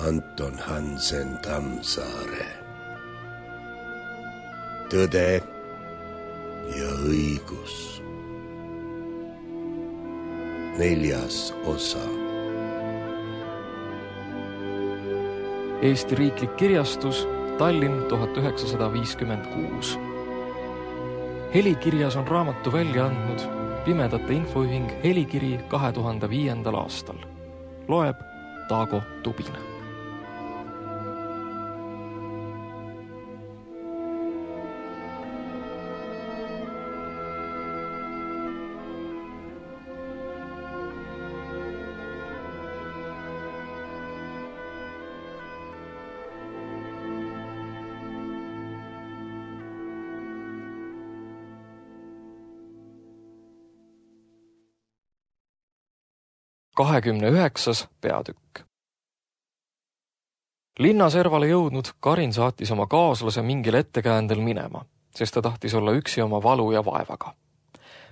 Anton Hansen Tammsaare. Tõde ja õigus. 4. osa. Eesti Riiklik Kirjastus, Tallinn 1956. Helikirjas on raamatu välja andnud Pimedate Infoühing Helikiri 2005. aastal. Loeb Taago Tubin. Kahekümne 9. peatükk. Linnaservale jõudnud Karin saatis oma kaaslase mingil ettekäändel minema, sest ta tahtis olla üksi oma valu ja vaevaga.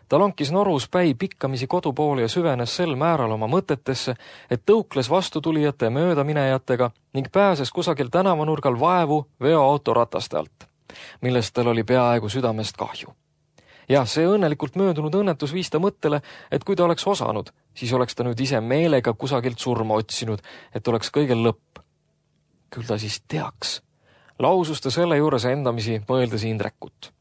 Ta lonkis norus päi pikkamisi kodupoole ja süvenes sel määral oma mõtetesse, et tõukles vastutulijate möödaminejatega ning pääses kusagil tänavanurgal vaevu veoauto rataste alt, millest tal oli peaaegu südamest kahju. Ja see õnnelikult möödunud õnnetus viis ta mõttele, et kui ta oleks osanud, siis oleks ta nüüd ise meelega kusagilt surma otsinud, et oleks kõigel lõpp. Küll ta siis teaks. Lausus ta selle juures endamisi mõeldes Indrekut.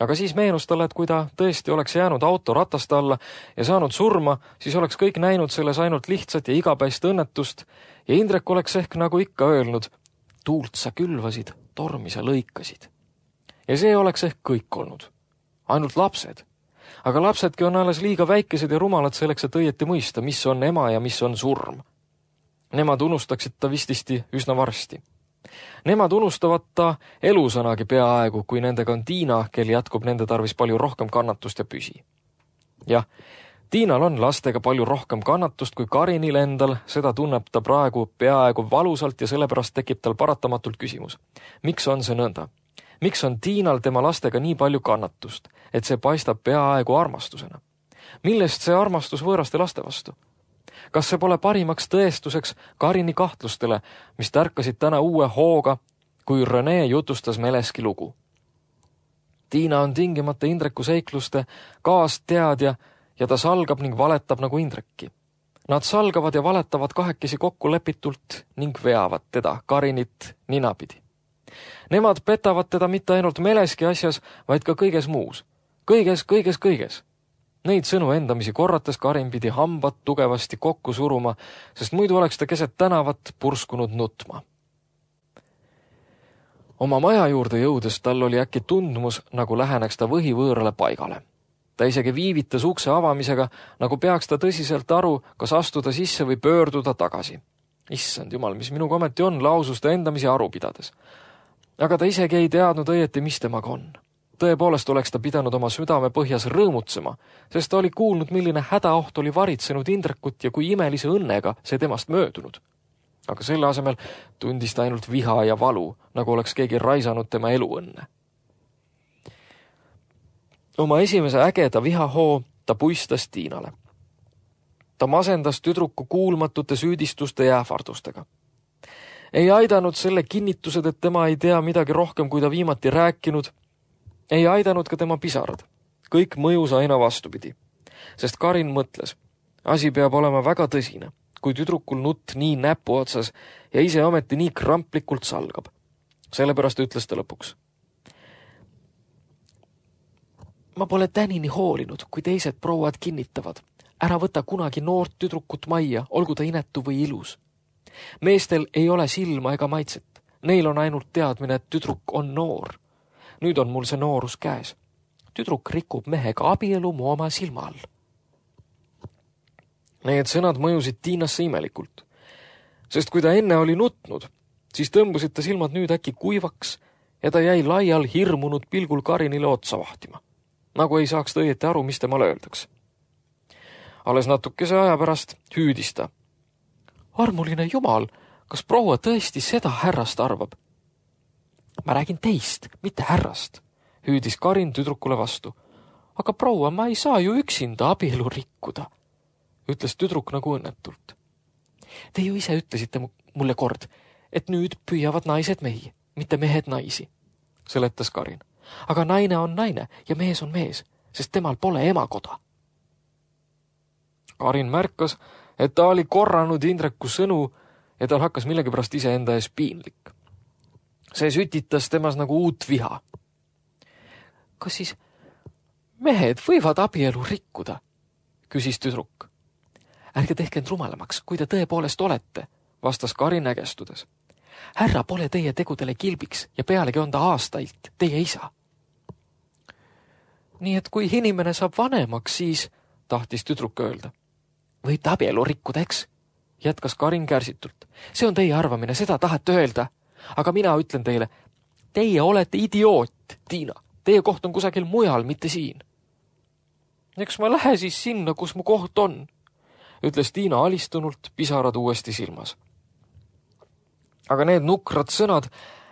Aga siis meenus talle, et kui ta tõesti oleks jäänud auto rataste alla ja saanud surma, siis oleks kõik näinud selles ainult lihtsat ja igapäist õnnetust ja Indrek oleks ehk nagu ikka öelnud, tuult sa külvasid, tormi sa lõikasid. Ja see oleks ehk kõik olnud. Ainult lapsed. Aga lapsedki on alles liiga väikesed ja rumalad selleks, et õieti mõista, mis on ema ja mis on surm. Nemad unustaksid ta vististi üsna varsti. Nemad unustavad ta elusõnagi peaaegu, kui nendega on Tiina, kel jätkub nende tarvis palju rohkem kannatust ja püsi. Jah, Tiinal on lastega palju rohkem kannatust kui Karinil endal, seda tunneb ta praegu peaaegu valusalt ja sellepärast tekib tal paratamatult küsimus. Miks on see nõnda? Miks on Tiinal tema lastega nii palju kannatust, et see paistab peaaegu armastusena? Millest see armastus võõraste laste vastu? Kas see pole parimaks tõestuseks Karini kahtlustele, mis tärkasid täna uue hooga, kui Rene jutustas Meleski lugu? Tiina on tingimata Indreku seikluste kaasteadja ja ta salgab ning valetab nagu Indrekki. Nad salgavad ja valetavad kahekesi kokku lepitult ning veavad teda, Karinit, ninapidi. Nemad petavad teda mitte ainult Meleski asjas, vaid ka kõiges muus. Kõiges. Neid sõnu endamisi korrates Karin pidi hambad tugevasti kokku suruma, sest muidu oleks ta keset tänavat purskunud nutma. Oma maja juurde jõudes tal oli äkki tundmus, nagu läheneks ta võhivõõrale paigale. Ta isegi viivitas ukse avamisega, nagu peaks ta tõsiselt aru, kas astuda sisse või pöörduda tagasi. Issand jumal, mis minu kometi on, lausus ta endamisi aru pidades. Aga ta isegi ei teadnud õieti, mis temaga on. Tõepoolest oleks ta pidanud oma südame põhjas rõõmutsema, sest ta oli kuulnud, milline hädaoht oli varitsenud Indrekut ja kui imelise õnnega see temast möödunud. Aga selle asemel tundis ta ainult viha ja valu, nagu oleks keegi raisanud tema eluõnne. Oma esimese ägeda vihahoo ta puistas Tiinale. Ta masendas tüdruku kuulmatute süüdistuste ja ähvardustega. Ei aidanud selle kinnitused, et tema ei tea midagi rohkem, kui ta viimati rääkinud. Ei aidanud ka tema pisarad. Kõik mõjus aina vastupidi. Sest Karin mõtles, asi peab olema väga tõsine, kui tüdrukul nutt nii näpu otsas ja ise ometi nii kramplikult salgab. Sellepärast ütles ta lõpuks. Ma pole tänini hoolinud, kui teised prouad kinnitavad. Ära võta kunagi noort tüdrukut majja, olgu ta inetu või ilus. Meestel ei ole silma ega maitset. Neil on ainult teadmine, et tüdruk on noor. Nüüd on mul see noorus käes. Tüdruk rikub mehega abielu mu oma silma all. Need sõnad mõjusid Tiinasse imelikult. Sest kui ta enne oli nutnud, siis tõmbusid ta silmad nüüd äkki kuivaks ja ta jäi laial hirmunud pilgul Karinile otsa vahtima. Nagu ei saaks õieti aru, mis temal öeldaks. Alles natukese aja pärast hüüdis ta. Armuline jumal, kas proua tõesti seda härrast arvab? Ma räägin teist, mitte härrast, hüüdis Karin tüdrukule vastu. Aga proua, ma ei saa ju üksinda abielu rikkuda, ütles tüdruk nagu õnnetult. Te ju ise ütlesite mulle kord, et nüüd püüavad naised mehi, mitte mehed naisi, seletas Karin. Aga naine on naine ja mees on mees, sest temal pole emakoda. Karin märkas, et ta oli korranud Indreku sõnu ja tal hakkas millegipärast iseenda ees piinlik. See sütitas temas nagu uut viha. Kas siis mehed võivad abielu rikkuda? Küsis tüdruk. Ärge tehke end rumalamaks, kui te tõepoolest olete, vastas Karin ägestudes. Härra pole teie tegudele kilbiks ja pealegi on ta aastailt teie isa. Nii et kui inimene saab vanemaks, siis, tahtis tüdruk öelda. Võib ta abielu rikkuda, eks? Jätkas Karin kärsitult. See on teie arvamine, seda tahate öelda. Aga mina ütlen teile, teie olete idioot, Tiina. Teie koht on kusagil mujal, mitte siin. Eks ma lähe siis sinna, kus mu koht on, ütles Tiina alistunult, pisarad uuesti silmas. Aga need nukrad sõnad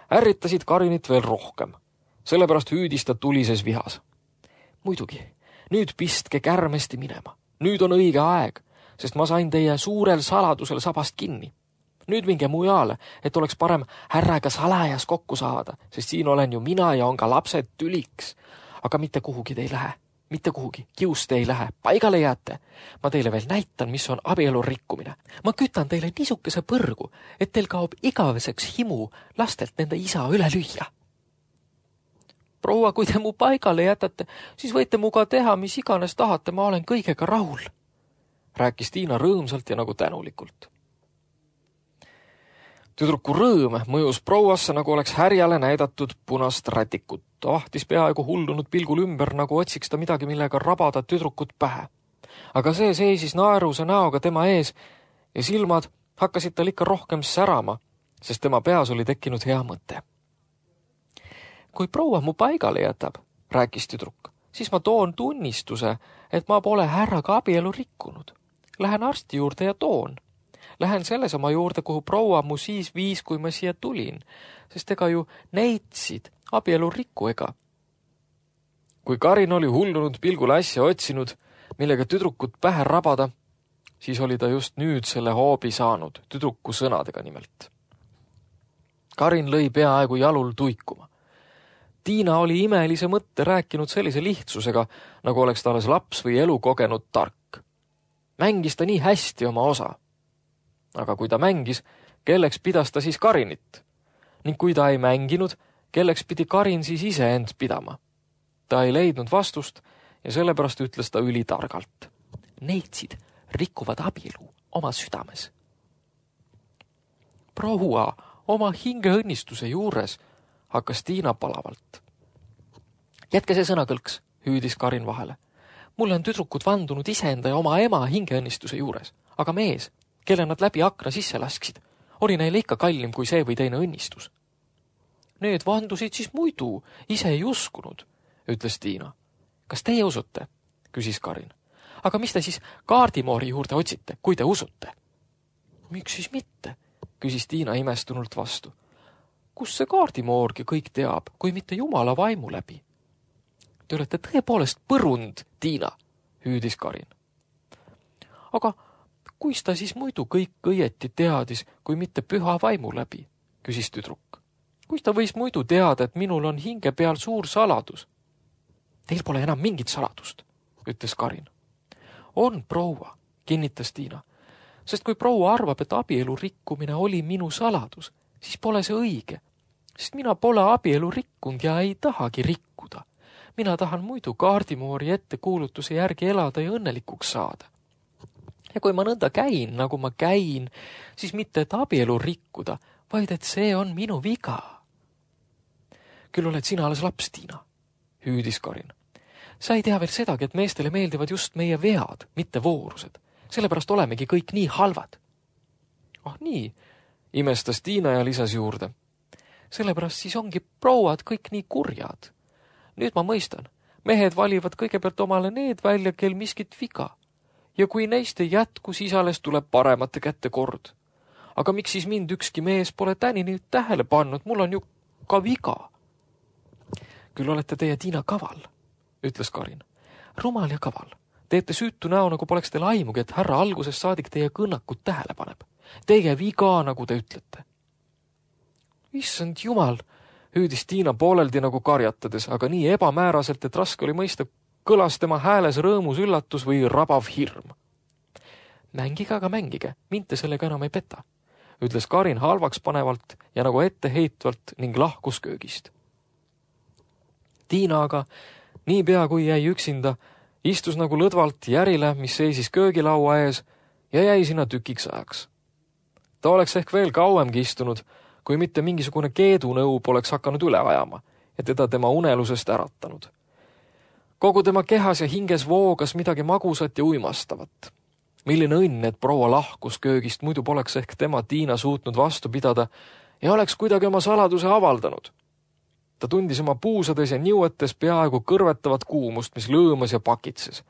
ärritasid Karinit veel rohkem. Sellepärast hüüdis ta tulises vihas. Muidugi, nüüd pistke kärmesti minema. Nüüd on õige aeg, sest ma sain teie suurel saladusel sabast kinni. Nüüd minge mujale, et oleks parem härraga salajas kokku saada, sest siin olen ju mina ja on ka lapsed tüliks. Aga mitte kuhugi te ei lähe. Mitte kuhugi. Kiust ei lähe. Paigale jääte. Ma teile veel näitan, mis on abielu rikkumine. Ma kütan teile niisukese põrgu, et teil kaob igaveseks himu lastelt nende isa üle lüüa. Proua, kui te mu paigale jätate, siis võite muga teha, mis iganes tahate, ma olen kõigega rahul, rääkis Tiina rõõmsalt ja nagu tänulikult. Tüdruku rõõm mõjus prouasse, nagu oleks härjale näidatud punast rätikut. Ta vahtis peaaegu hullunud pilgul ümber, nagu otsiks ta midagi, millega rabada tüdrukut pähe. Aga see seisis naeruse näoga tema ees ja silmad hakkasid tal ikka rohkem särama, sest tema peas oli tekkinud hea mõte. Kui proua mu paigale jätab, rääkis tüdruk, siis ma toon tunnistuse, et ma pole härraga abielu rikkunud. Lähen arsti juurde ja toon. Lähen sellesama juurde, kuhu proua mu siis viis, kui ma siia tulin, sest ega ju neitsid abielu rikku ega. Kui Karin oli hullunud pilgul äsja otsinud, millega tüdrukut pähe rabada, siis oli ta just nüüd selle hoobi saanud, tüdruku sõnadega nimelt. Karin lõi peaaegu jalul tuikuma. Tiina oli imelise mõtte rääkinud sellise lihtsusega, nagu oleks ta alles laps või elu kogenud tark. Mängis ta nii hästi oma osa. Aga kui ta mängis, kelleks pidas ta siis Karinit? Ning kui ta ei mänginud, kelleks pidi Karin siis ise end pidama? Ta ei leidnud vastust ja sellepärast ütles ta ülitargalt. Neitsid rikuvad abielu oma südames. Proua, oma hingeõnnistuse juures, hakkas Tiina palavalt. Jätke see sõnakõlks, hüüdis Karin vahele. Mulle on tüdrukud vandunud iseenda ja oma ema hingeõnnistuse juures, aga mees, kelle nad läbi akna sisse lasksid, oli neile ikka kallim kui see või teine õnnistus. Need vandusid siis muidu, ise ei uskunud, ütles Tiina. Kas teie usute? Küsis Karin. Aga mis te siis kaardimoori juurde otsite, kui te usute? Miks siis mitte? Küsis Tiina imestunult vastu. Kus see kaardimoorgi kõik teab, kui mitte Jumala vaimu läbi? Te olete tõepoolest põrund, Tiina, hüüdis Karin. Aga kuis ta siis muidu kõik õieti teadis, kui mitte püha vaimu läbi, küsis tüdruk. Kuis ta võis muidu teada, et minul on hinge peal suur saladus? Teil pole enam mingit saladust, ütles Karin. On, proua, kinnitas Tiina, sest kui proua arvab, et abielu rikkumine oli minu saladus, siis pole see õige, sest mina pole abielu rikkunud ja ei tahagi rikkuda. Mina tahan muidu kaardimoori ettekuulutuse järgi elada ja õnnelikuks saada. Ja kui ma nõnda käin, nagu ma käin, siis mitte et abielu rikkuda, vaid et see on minu viga. Küll oled sina alles laps, Tiina, hüüdis Karin. Sa ei tea veel sedagi, et meestele meeldivad just meie vead, mitte voorused. Sellepärast olemegi kõik nii halvad. Ah nii, imestas Tiina ja lisas juurde. Sellepärast siis ongi prouad kõik nii kurjad. Nüüd ma mõistan, mehed valivad kõigepealt omale need välja, kel miskit viga. Ja kui neist ei jätku, siis alles tuleb paremate kätte kord. Aga miks siis mind ükski mees pole tänini tähele pannud, mul on ju ka viga. Küll olete teie, Tiina, kaval, ütles Karin. Rumal ja kaval. Teete süütu näo, nagu poleks teil aimugi, et härra algusest saadik teie kõnnakut tähele paneb. Teige viga, nagu te ütlete. Issand jumal, hüüdis Tiina pooleldi nagu karjatades, aga nii ebamääraselt, et raske oli mõista, kõlas tema hääles rõõmus üllatus või rabav hirm. Mängige, aga mängige, mind te sellega enam ei peta, ütles Karin halvaks panevalt ja nagu etteheitvalt ning lahkus köögist. Tiina aga, niipea kui jäi üksinda, istus nagu lõdvalt järile, mis seisis köögilaua ees ja jäi sinna tükiks ajaks. Ta oleks ehk veel kauemgi istunud, kui mitte mingisugune keedunõu poleks hakanud üle ajama ja teda tema unelusest äratanud. Kogu tema kehas ja hinges voogas midagi magusat ja uimastavat. Milline õnn, et proua lahkus köögist, muidu poleks ehk tema Tiina suutnud vastu pidada ja oleks kuidagi oma saladuse avaldanud. Ta tundis oma puusades ja niuetes peaaegu kõrvetavat kuumust, mis lõõmas ja pakitses.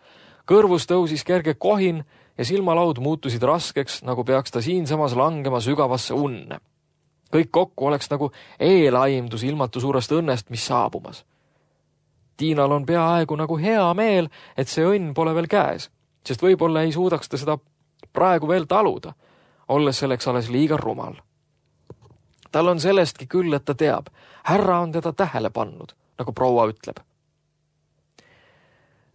Kõrvus tõusis kerge kohin ja silmalaud muutusid raskeks, nagu peaks ta siinsamas langema sügavasse unne. Kõik kokku oleks nagu eelaimdus ilmatu suurest õnnest, mis saabumas. Tiinal on peaaegu nagu hea meel, et see õnn pole veel käes, sest võib-olla ei suudaks ta seda praegu veel taluda, olles selleks alles liiga rumal. Tal on sellestki küll, et ta teab, härra on teda tähele pannud, nagu proua ütleb.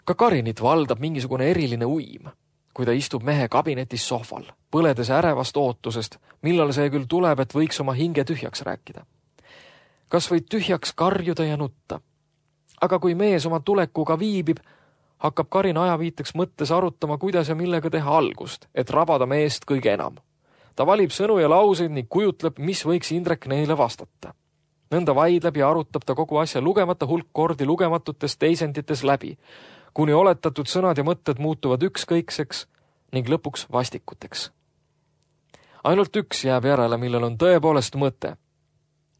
Ka Karinit valdab mingisugune eriline uim, kui ta istub mehe kabinetis sohval, põledes ärevast ootusest, millal see küll tuleb, et võiks oma hinge tühjaks rääkida. Kas või tühjaks karjuda ja nutta. Aga kui mees oma tulekuga viibib, hakkab Karin ajaviiteks mõttes arutama, kuidas ja millega teha algust, et rabada meest kõige enam. Ta valib sõnu ja lauseid ning kujutleb, mis võiks Indrek neile vastata. Nõnda vaidleb ja arutab ta kogu asja lugemata hulk kordi lugematutes teisendites läbi, kuni oletatud sõnad ja mõtted muutuvad ükskõikseks ning lõpuks vastikuteks. Ainult üks jääb järele, millel on tõepoolest mõte.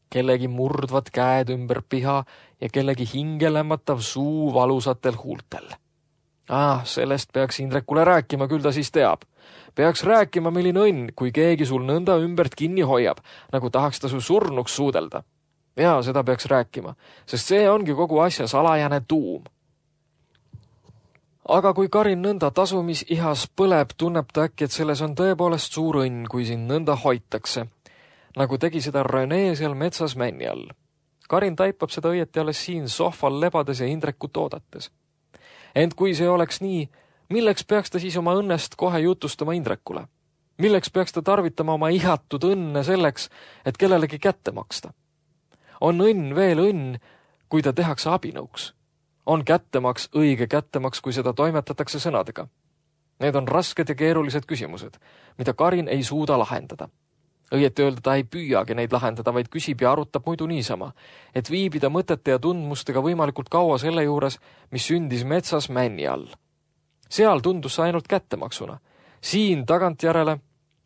Kellegi murdvad käed ümber piha ja kellegi hinge lämmatav suu valusatel huultel. Sellest peaks Indrekule rääkima, küll ta siis teab. Peaks rääkima, milline õnn, kui keegi sul nõnda ümbert kinni hoiab, nagu tahaks ta su surnuks suudelda. Ja seda peaks rääkima, sest see ongi kogu asja salajane tuum. Aga kui Karin nõnda tasumisihas põleb, tunneb ta äkki, et selles on tõepoolest suur õnn, kui sind nõnda hoitakse, nagu tegi seda Rene seal metsas männi all. Karin taipab seda õieti alles siin sohval lebades ja Indrekut oodates. Ent kui see oleks nii, milleks peaks ta siis oma õnnest kohe jutustama Indrekule? Milleks peaks ta tarvitama oma ihatud õnne selleks, et kellelegi kätte maksta? On õnn veel õnn, kui ta tehakse abinõuks. On kättemaks õige kättemaks, kui seda toimetatakse sõnadega. Need on rasked ja keerulised küsimused, mida Karin ei suuda lahendada. Õieti öelda ta ei püüagi neid lahendada, vaid küsib ja arutab muidu niisama, et viibida mõtete ja tundmustega võimalikult kaua selle juures, mis sündis metsas männi all. Seal tundus see ainult kättemaksuna. Siin tagantjärele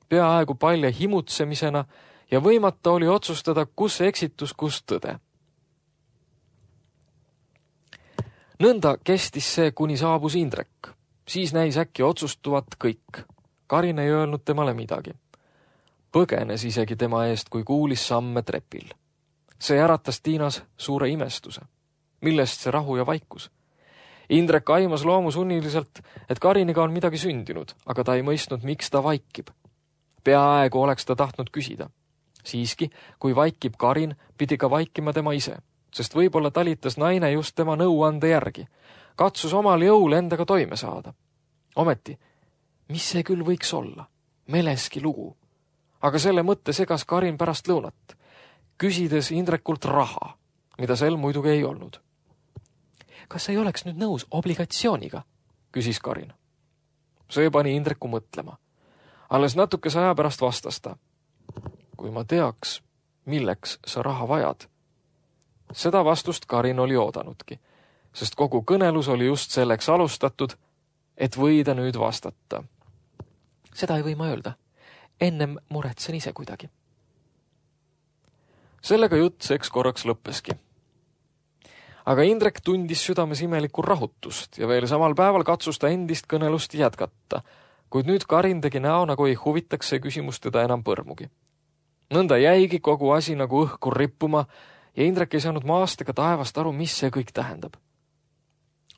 peaaegu palja himutsemisena ja võimata oli otsustada, kus eksitus, kus tõde. Nõnda kestis see, kuni saabus Indrek. Siis näis äkki otsustuvat kõik. Karin ei öelnud temale midagi. Põgenes isegi tema eest, kui kuulis samme trepil. See äratas Tiinas suure imestuse. Millest see rahu ja vaikus? Indrek aimas loomusunniliselt, et Kariniga on midagi sündinud, aga ta ei mõistnud, miks ta vaikib. Peaaegu oleks ta tahtnud küsida. Siiski, kui vaikib Karin, pidi ka vaikima tema ise, sest võib-olla talitas naine just tema nõuande järgi. Katsus omal jõul endaga toime saada. Ometi, mis see küll võiks olla? Meleski lugu. Aga selle mõtte segas Karin pärast lõunat, küsides Indrekult raha, mida sel muidugi ei olnud. Kas ei oleks nüüd nõus obligatsiooniga? Küsis Karin. See pani Indreku mõtlema. Alles natukese aja pärast vastas ta. Kui ma teaks, milleks sa raha vajad. Seda vastust Karin oli oodanudki, sest kogu kõnelus oli just selleks alustatud, et võida nüüd vastata. Seda ei või ma öelda. Ennem muretsen ise kuidagi. Sellega jutt seks korraks lõppeski. Aga Indrek tundis südames imelikku rahutust ja veel samal päeval katsus ta endist kõnelust jätkata, kuid nüüd Karin tegi näo, nagu ei huvitaks see küsimus teda enam põrmugi. Nõnda jäigi kogu asi nagu õhku rippuma ja Indrek ei saanud maast ega taevast aru, mis see kõik tähendab.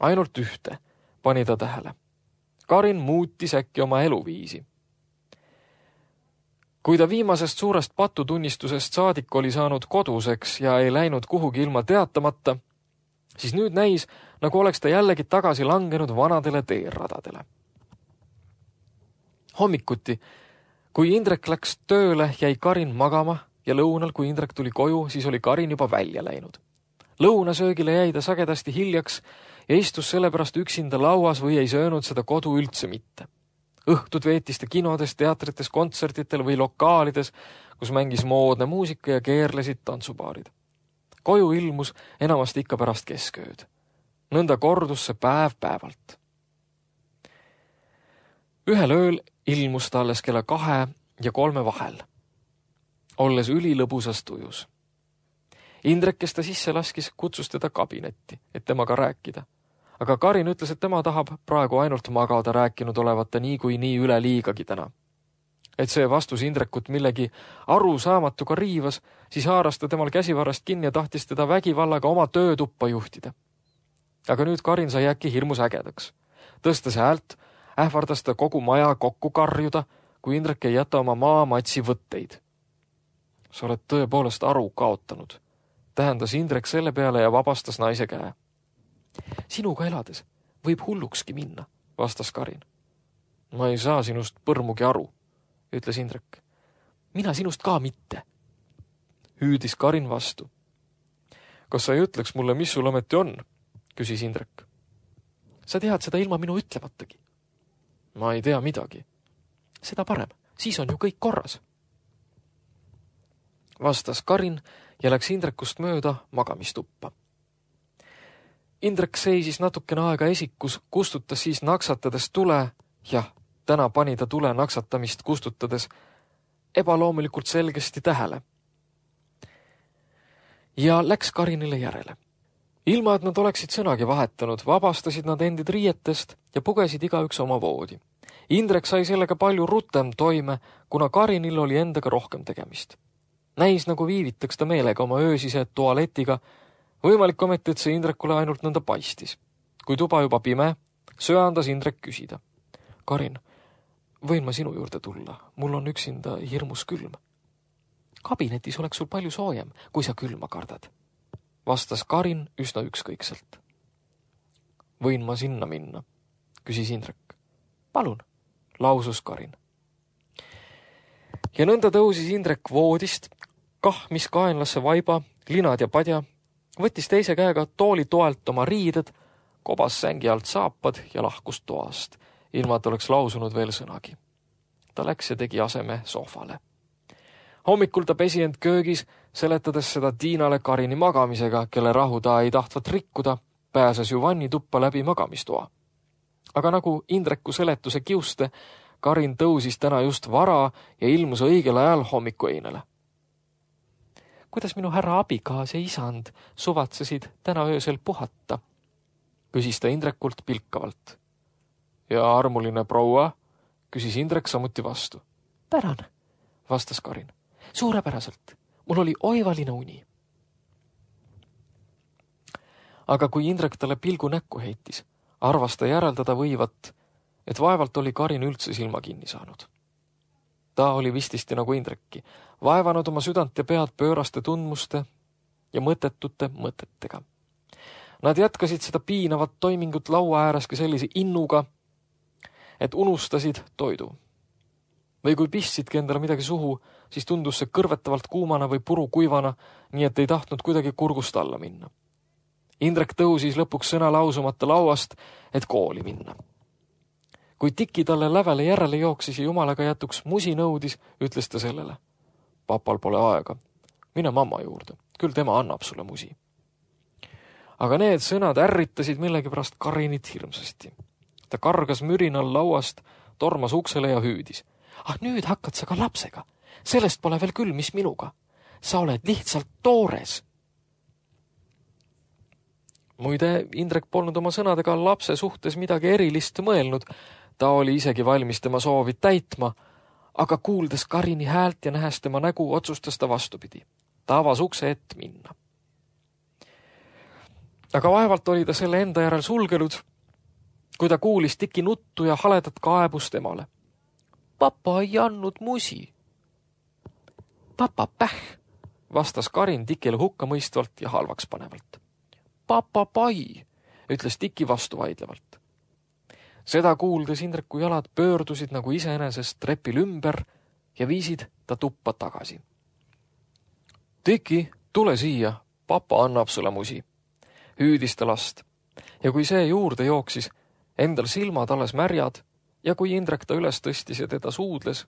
Ainult ühte pani ta tähele. Karin muutis äkki oma eluviisi. Kui ta viimasest suurest patutunnistusest saadik oli saanud koduseks ja ei läinud kuhugi ilma teatamata, siis nüüd näis, nagu oleks ta jällegi tagasi langenud vanadele teeradadele. Hommikuti, kui Indrek läks tööle, jäi Karin magama ja lõunal, kui Indrek tuli koju, siis oli Karin juba välja läinud. Lõunasöögile jäi ta sagedasti hiljaks ja istus sellepärast üksinda lauas või ei söönud seda kodu üldse mitte. Õhtud veetis ta kinodes, teatrites, kontsertitel või lokaalides, kus mängis moodne muusika ja keerlesid tantsupaarid. Koju ilmus enamasti ikka pärast keskööd. Nõnda kordus see päev päevalt. Ühel ööl ilmus ta alles kella 2 ja 3 vahel, olles ülilõbusas tujus. Indrek, kes ta sisse laskis, kutsus teda kabinetti, et temaga rääkida. Aga Karin ütles, et tema tahab praegu ainult magada, rääkinud olevata nii üle liigagi täna. Et see vastus Indrekut millegi arusaamatuga riivas, siis haaras ta temal käsivarrast kinni ja tahtis teda vägivallaga oma töötuppa juhtida. Aga nüüd Karin sai äkki hirmus ägedaks. Tõstas häält, ähvardas ta kogu maja kokku karjuda, kui Indrek ei jäta oma maamatsi võtteid. Sa oled tõepoolest aru kaotanud, tähendas Indrek selle peale ja vabastas naise käe. Sinuga elades võib hullukski minna, vastas Karin. Ma ei saa sinust põrmugi aru, ütles Indrek. Mina sinust ka mitte, hüüdis Karin vastu. Kas sa ei ütleks mulle, mis sul ometi on, küsis Indrek. Sa tead seda ilma minu ütlevatagi. Ma ei tea midagi. Seda parem, siis on ju kõik korras. Vastas Karin ja läks Indrekust mööda magamistuppa. Indrek seisis natukene aega esikus, kustutas siis naksatades tule, jah, täna pani ta tule naksatamist kustutades ebaloomulikult selgesti tähele. Ja läks Karinile järele. Ilma, et nad oleksid sõnagi vahetanud, vabastasid nad endid riietest ja pugesid igaüks oma voodi. Indrek sai sellega palju rutem toime, kuna Karinil oli endaga rohkem tegemist. Näis, nagu viivitaks ta meelega oma öösise tualetiga, võimalik ometi, et see Indrekule ainult nõnda paistis. Kui tuba juba pime, söandas Indrek küsida. Karin, võin ma sinu juurde tulla? Mul on üksinda hirmus külm. Kabinetis oleks sul palju soojem, kui sa külma kardad, vastas Karin üsna ükskõikselt. Võin ma sinna minna, küsis Indrek. Palun, lausus Karin. Ja nõnda tõusis Indrek voodist, kahmis kaenlasse vaiba, linad ja padja, võttis teise käega tooli toelt oma riided, kobas sängi alt saapad ja lahkus toast, ilma et oleks lausunud veel sõnagi. Ta läks ja tegi aseme sohvale. Hommikul ta pesi end köögis, seletades seda Tiinale Karini magamisega, kelle rahu ta ei tahtvat rikkuda, pääses ju vannituppa läbi magamistoa. Aga nagu Indreku seletuse kiuste, Karin tõusis täna just vara ja ilmus õigel ajal hommikueinele. Kuidas minu härra abikaas ja isand suvatsesid täna öösel puhata? Küsis ta Indrekult pilkavalt. Ja armuline proua? Küsis Indrek samuti vastu. Tänan, vastas Karin. Suurepäraselt. Mul oli oivaline uni. Aga kui Indrek talle pilgu näkku heitis, arvas ta järeldada võivat, et vaevalt oli Karin üldse silma kinni saanud. Ta oli vististi nagu Indrekki, vaevanud oma südant ja pead pööraste tundmuste ja mõttetute mõtetega. Nad jätkasid seda piinavat toimingut laua ääreski sellise innuga, et unustasid toidu. Või kui pistsidki endale midagi suhu, siis tundus see kõrvetavalt kuumana või puru kuivana, nii et ei tahtnud kuidagi kurgust alla minna. Indrek tõusis lõpuks sõna lausumata lauast, et kooli minna. Kui Tiki talle lävele järele jooksis ja jumalaga jätuks musi nõudis, ütles ta sellele. Papal pole aega. Mine mamma juurde. Küll tema annab sulle musi. Aga need sõnad ärritasid millegipärast Karinit hirmsasti. Ta kargas mürinal lauast, tormas uksele ja hüüdis. Ah, nüüd hakkad sa ka lapsega. Sellest pole veel küll, mis minuga. Sa oled lihtsalt toores. Muide, Indrek polnud oma sõnadega lapse suhtes midagi erilist mõelnud. Ta oli isegi valmis tema soovid täitma, aga kuuldes Karini häält ja nähes tema nägu, otsustas ta vastupidi. Ta avas ukse ette minna. Aga vaevalt oli ta selle enda järel sulgenud, kui ta kuulis Tiki nuttu ja haledat kaebust emale. Papa ei andnud musi, Papa päh, vastas Karin Tikile hukkamõistvalt ja halvaks panevalt. Papa pai, ütles Tiki vastu vaidlevalt. Seda kuuldes Indreku jalad pöördusid nagu iseenesest trepil ümber ja viisid ta tuppa tagasi. Tiki, tule siia, papa annab sulle musi, hüüdis ta last. Ja kui see juurde jooksis, endal silmad alles märjad ja kui Indrek ta üles tõstis ja teda suudles,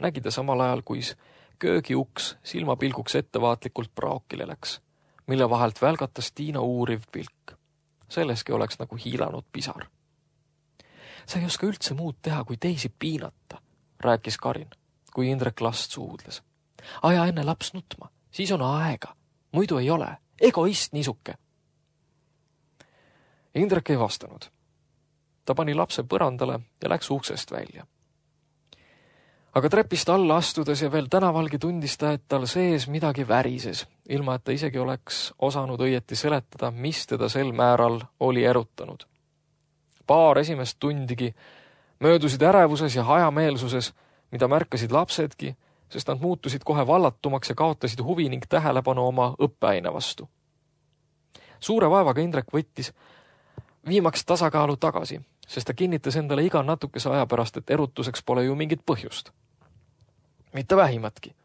nägi ta samal ajal, kuis köögiuks silmapilguks ettevaatlikult praokile läks, mille vahelt välgatas Tiina uuriv pilk. Selleski oleks nagu hiilanud pisar. Sa ei oska üldse muud teha, kui teisi piinata, rääkis Karin, kui Indrek last suudles. Aja enne laps nutma, siis on aega, muidu ei ole, egoist niisuke. Indrek ei vastanud. Ta pani lapse põrandale ja läks uksest välja. Aga trepist alla astudes ja veel tänavalgi tundis ta, et tal sees midagi värises, ilma et ta isegi oleks osanud õieti seletada, mis teda sel määral oli erutanud. Paar esimest tundigi möödusid ärevuses ja hajameelsuses, mida märkasid lapsedki, sest nad muutusid kohe vallatumaks ja kaotasid huvi ning tähelepanu oma õppeaine vastu. Suure vaevaga Indrek võttis viimaks tasakaalu tagasi, sest ta kinnitas endale iga natukese aja pärast, et erutuseks pole ju mingit põhjust. Mitte vähimatki.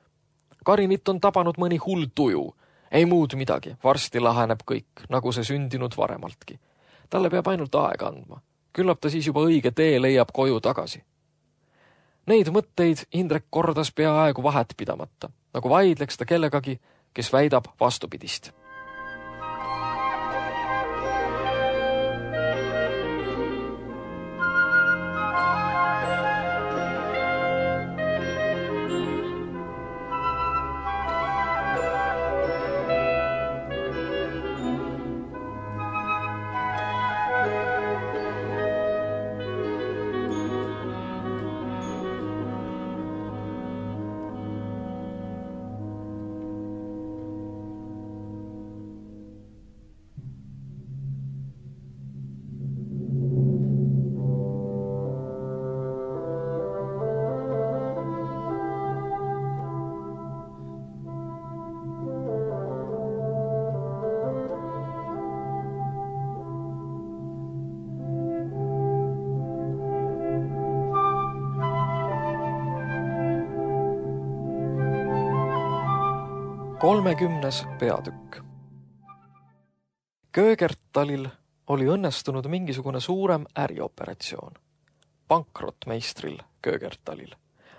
Karinit on tabanud mõni hull tuju. Ei muud midagi, varsti laheneb kõik, nagu see sündinud varemaltki. Talle peab ainult aega andma. Küllap ta siis juba õige tee leiab koju tagasi. Neid mõtteid Indrek kordas peaaegu vahet pidamata, nagu vaidleks ta kellegagi, kes väidab vastupidist. Kolmekümnes peatükk. Köögertalil oli õnnestunud mingisugune suurem ärioperatsioon. Pankrotmeistril Köögertalil,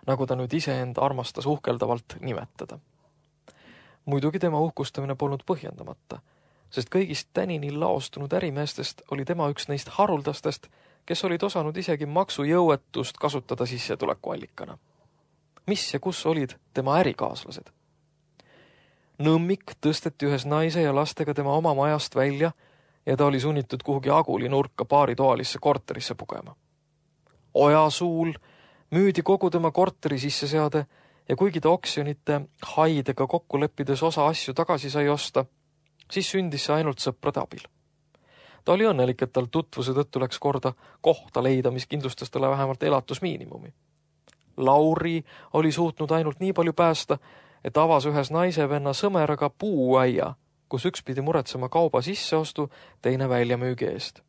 nagu ta nüüd iseenda armastas uhkeldavalt nimetada. Muidugi tema uhkustamine polnud põhjendamata, sest kõigist tänini laostunud ärimeestest oli tema üks neist haruldastest, kes olid osanud isegi maksujõuetust kasutada sissetulekuallikana. Mis ja kus olid tema ärikaaslased? Nõmmik tõsteti ühes naise ja lastega tema oma majast välja ja ta oli sunnitud kuhugi aguli nurka paaritoalisse korterisse pugema. Ojasuul müüdi kogu tema korteri sisseseade ja kuigi ta oksjonite haidega kokku leppides osa asju tagasi sai osta, siis sündis see ainult sõprade abil. Ta oli õnnelik, et tal tutvuse tõttu läks korda kohta leida, mis kindlustas talle vähemalt elatusmiinimumi. Lauri oli suutnud ainult nii palju päästa, et avas ühes naisevenna sõmeraga puuaia, kus üks pidi muretsema kauba sisseostu, teine väljamüügi eest.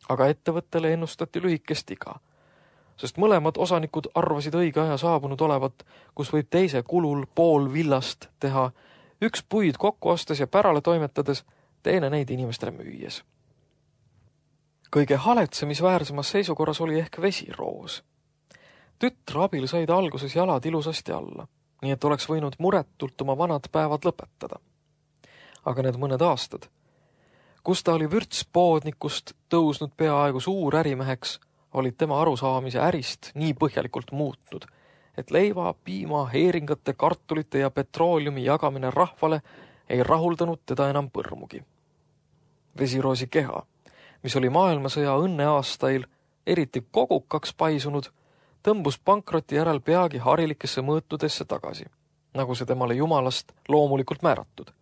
Aga ettevõttele ennustati lühikest iga, sest mõlemad osanikud arvasid õige aja saabunud olevat, kus võib teise kulul pool villast teha, üks puid kokku ostes ja pärale toimetades, teine neid inimestele müües. Kõige haletsemisväärsemas seisukorras oli ehk vesiroos. Tütre abil said alguses jalad ilusasti alla, nii et oleks võinud muretult oma vanad päevad lõpetada. Aga need mõned aastad, kus ta oli vürtspoodnikust tõusnud peaaegu suur ärimeheks, olid tema arusaamise ärist nii põhjalikult muutnud, et leiva, piima, heeringate, kartulite ja petrooliumi jagamine rahvale ei rahuldanud teda enam põrmugi. Vesiroosi keha, mis oli maailmasõja õnneaastail eriti kogukaks paisunud, tõmbus pankroti järel peagi harilikesse mõõtudesse tagasi, nagu see temale jumalast loomulikult määratud.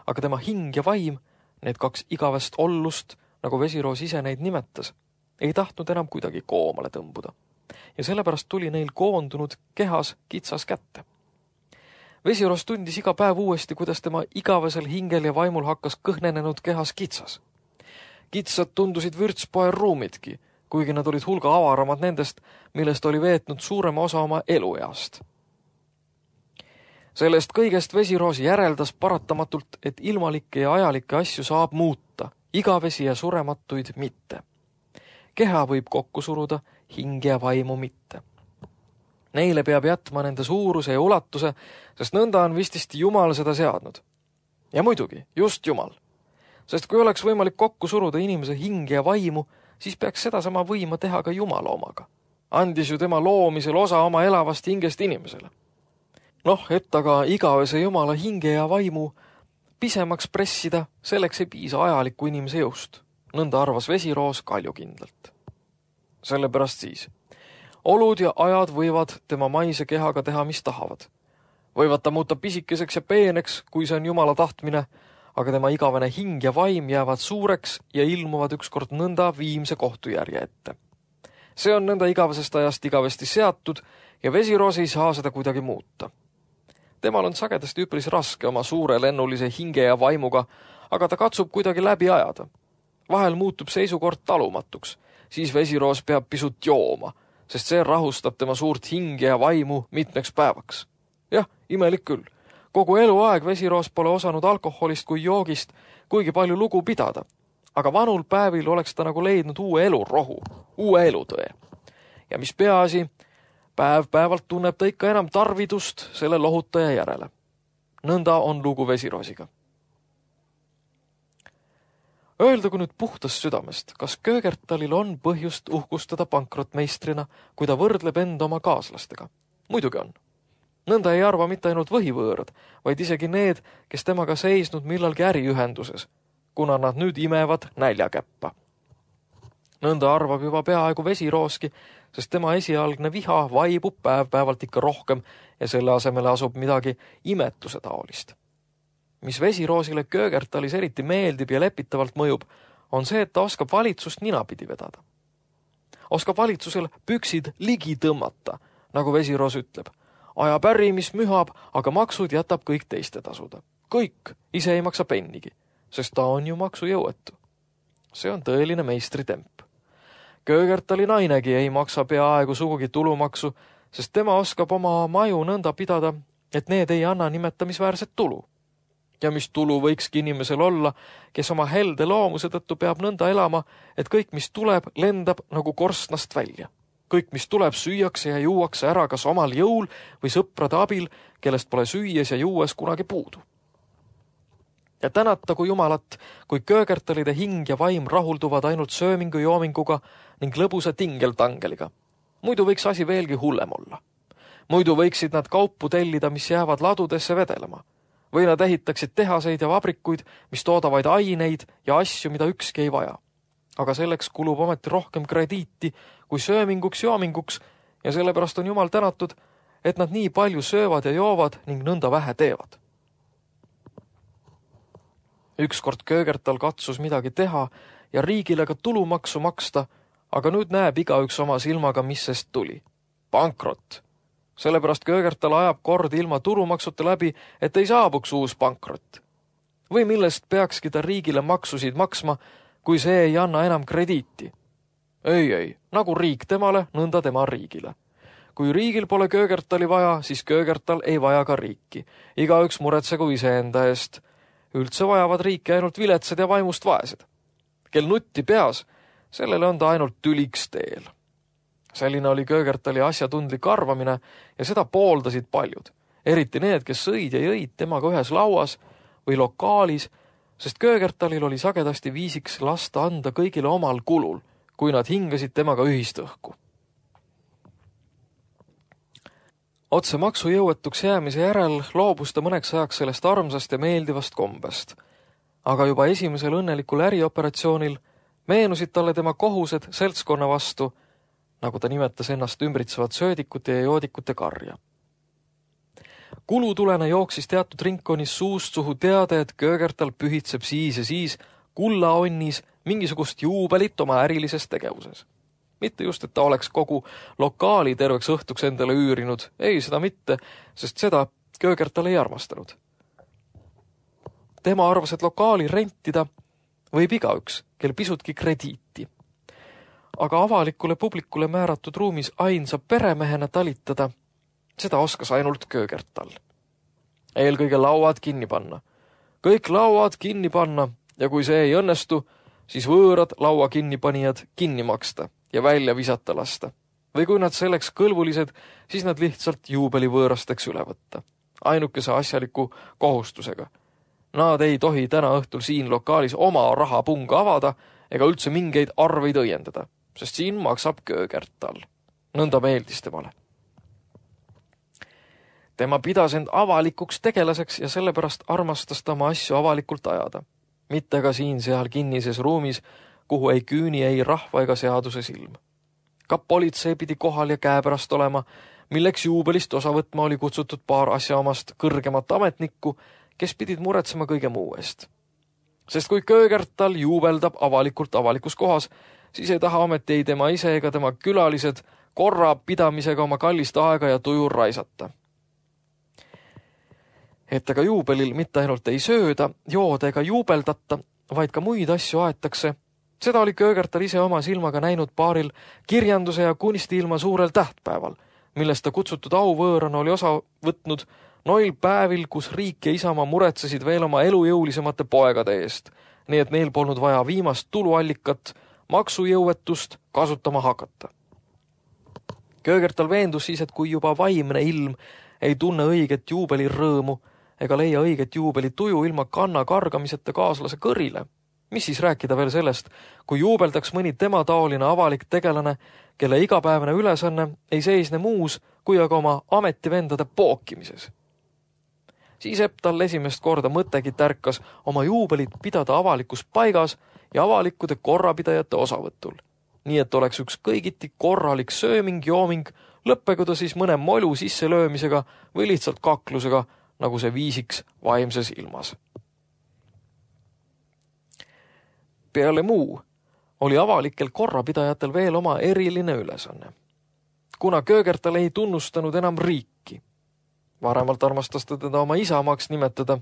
Aga tema hing ja vaim, need kaks igavest ollust, nagu Vesiroos ise neid nimetas, ei tahtnud enam kuidagi koomale tõmbuda. Ja sellepärast tuli neil koondunud kehas kitsas kätte. Vesiroos tundis iga päev uuesti, kuidas tema igavesel hingel ja vaimul hakkas kõhnenenud kehas kitsas. Kitsad tundusid vürtspoe ruumidki, kuigi nad olid hulga avaramad nendest, millest oli veetnud suurema osa oma elueast. Sellest kõigest Vesiroos järeldas paratamatult, et ilmalikke ja ajalikke asju saab muuta, igavesi ja surematuid mitte. Keha võib kokku suruda, hinge ja vaimu mitte. Neile peab jätma nende suuruse ja ulatuse, sest nõnda on vististi Jumal seda seadnud. Ja muidugi, just Jumal. Sest kui oleks võimalik kokku suruda inimese hinge ja vaimu, siis peaks sedasama võima teha ka Jumala omaga. Andis ju tema loomisel osa oma elavast hingest inimesele. Et aga igavese Jumala hinge ja vaimu pisemaks pressida, selleks ei piisa ajaliku inimese jõust. Nõnda arvas Vesiroos kaljukindlalt. Sellepärast siis. Olud ja ajad võivad tema maise kehaga teha, mis tahavad. Võivad ta muuta pisikeseks ja peeneks, kui see on Jumala tahtmine, aga tema igavene hing ja vaim jäävad suureks ja ilmuvad ükskord nõnda viimse kohtujärje ette. See on nõnda igavesest ajast igavesti seatud ja Vesiroos ei saa seda kuidagi muuta. Temal on sagedasti üpris raske oma suure lennulise hinge ja vaimuga, aga ta katsub kuidagi läbi ajada. Vahel muutub seisukord talumatuks, siis Vesiroos peab pisut jooma, sest see rahustab tema suurt hinge ja vaimu mitmeks päevaks. Jah, imelik küll. Kogu eluaeg Vesiroos pole osanud alkoholist kui joogist kuigi palju lugu pidada, aga vanul päevil oleks ta nagu leidnud uue elurohu, uue elutõe. Ja mis peaasi, päev-päevalt tunneb ta ikka enam tarvidust selle lohutaja järele. Nõnda on lugu Vesiroosiga. Öeldagu nüüd puhtast südamest, kas Köögertalil on põhjust uhkustada pankrotmeistrina, kui ta võrdleb enda oma kaaslastega? Muidugi on. Nõnda ei arva mitte ainult võhivõõrad, vaid isegi need, kes temaga seisnud millalgi äriühenduses, kuna nad nüüd imevad näljakäppa. Nõnda arvab juba peaaegu Vesirooski, sest tema esialgne viha vaibub päev-päevalt ikka rohkem ja selle asemele asub midagi imetuse taolist. Mis Vesiroosile Köögertalis eriti meeldib ja lepitavalt mõjub, on see, et ta oskab valitsust ninapidi vedada. Oskab valitsusel püksid ligi tõmmata, nagu Vesiroos ütleb. Ajab äri, mis mühab, aga maksud jätab kõik teiste tasuda. Kõik, ise ei maksa pennigi, sest ta on ju maksujõuetu. See on tõeline meistritemp. Köögertali nainegi ei maksa peaaegu sugugi tulumaksu, sest tema oskab oma maju nõnda pidada, et need ei anna nimetamisväärset tulu. Ja mis tulu võikski inimesel olla, kes oma helde loomuse tõttu peab nõnda elama, et kõik, mis tuleb, lendab nagu korstnast välja. Kõik, mis tuleb, süüakse ja juuakse ära kas omal jõul või sõprade abil, kellest pole süües ja juues kunagi puudu. Ja tänatagu Jumalat, kui Köögertalide hing ja vaim rahulduvad ainult söömingu-joominguga ning lõbusa tingeltangeliga. Muidu võiks asi veelgi hullem olla. Muidu võiksid nad kaupu tellida, mis jäävad ladudesse vedelema. Või nad ehitaksid tehaseid ja vabrikuid, mis toodavaid aineid ja asju, mida ükski ei vaja. Aga selleks kulub ometi rohkem krediiti kui sööminguks-joominguks ja sellepärast on Jumal tänatud, et nad nii palju söövad ja joovad ning nõnda vähe teevad. Ükskord Köögertal katsus midagi teha ja riigile ka tulumaksu maksta, aga nüüd näeb igaüks oma silmaga, mis sest tuli. Pankrot. Sellepärast Köögertal ajab kord ilma tulumaksuta läbi, et ei saabuks uus pankrot. Või millest peakski ta riigile maksusid maksma, kui see ei anna enam krediiti. Ei, nagu riik temale, nõnda tema riigile. Kui riigil pole Köögertali vaja, siis Köögertal ei vaja ka riiki. Igaüks muretsegu iseenda eest. Üldse vajavad riiki ainult viletsad ja vaimust vaesed. Kel nutti peas, sellele on ta ainult tüliks teel. Selline oli Köögertali asjatundlik arvamine ja seda pooldasid paljud. Eriti need, kes sõid ja jõid temaga ühes lauas või lokaalis, sest Köögertalil oli sagedasti viisiks lasta anda kõigile omal kulul, kui nad hingasid temaga ühist õhku. Otse maksujõuetuks jäämise järel loobus ta mõneks ajaks sellest armsast ja meeldivast kombest. Aga juba esimesel õnnelikul ärioperatsioonil meenusid talle tema kohused seltskonna vastu, nagu ta nimetas ennast ümbritsevat söödikute ja joodikute karja. Kulutulena jooksis teatud ringkonnis suust suhu teade, et Köögertal pühitseb siis ja siis kullaonnis mingisugust juubelit oma ärilises tegevuses. Mitte just, et ta oleks kogu lokaali terveks õhtuks endale üürinud, ei seda mitte, sest seda Köögertal ei armastanud. Tema arvas, et lokaali rentida võib igaüks, kel pisutki krediiti. Aga avalikule publikule määratud ruumis ainsa peremehena talitada, seda oskas ainult Köögertal. Eelkõige lauad kinni panna. Kõik lauad kinni panna ja kui see ei õnnestu, siis võõrad laua kinnipanijad kinni maksta ja välja visata lasta. Või kui nad selleks kõlbulised, siis nad lihtsalt juubeli võõrasteks üle võtta. Ainukese asjaliku kohustusega. Nad ei tohi täna õhtul siin lokaalis oma rahapunga avada ega üldse mingeid arveid õiendada, sest siin maksab Köögertal. Nõnda meeldis temale. Tema pidas end avalikuks tegelaseks ja sellepärast armastas ta oma asju avalikult ajada. Mitte ka siin-seal kinnises ruumis, kuhu ei küüni ei rahva ega seaduse silm. Ka politsei pidi kohal ja käepärast olema, milleks juubelist osa võtma oli kutsutud paar asjaomast kõrgemat ametnikku, kes pidid muretsema kõige muu eest. Sest kui Köögertal juubeldab avalikult avalikus kohas, siis ei taha ometi ei tema ise ega tema külalised korra pidamisega oma kallist aega ja tuju raisata. Et aga juubelil mitte ainult ei sööda, jooda ega juubeldata, vaid ka muid asju aetakse. Seda oli Köögertal ise oma silmaga näinud paaril kirjanduse ja kunstiilma suurel tähtpäeval, millest ta kutsutud auvõõrana oli osa võtnud noil päevil, kus riik ja isamaa muretsesid veel oma elujõulisemate poegade eest, nii et neil polnud vaja viimast tuluallikat, maksujõuetust kasutama hakata. Köögertal veendus siis, et kui juba vaimne ilm ei tunne õiget juubeli rõõmu ega leia õiget juubeli tuju ilma kanna kargamiseta kaaslase kõrile, mis siis rääkida veel sellest, kui juubeldaks mõni tema taoline avalik tegelane, kelle igapäevane ülesanne ei seisne muus kui aga oma ametivendade pookimises. Siis tal esimest korda mõttegi tärkas oma juubelit pidada avalikus paigas ja avalikkude korrapidajate osavõtul. Nii et oleks üks kõigiti korralik sööming-jooming, lõppegu ta siis mõne molu sisselöömisega või lihtsalt kaklusega, nagu see viisiks vaimses ilmas. Peale muu oli avalikel korrapidajatel veel oma eriline ülesanne. Kuna Köögertal ei tunnustanud enam riiki, varemalt armastas ta teda oma isamaaks nimetada,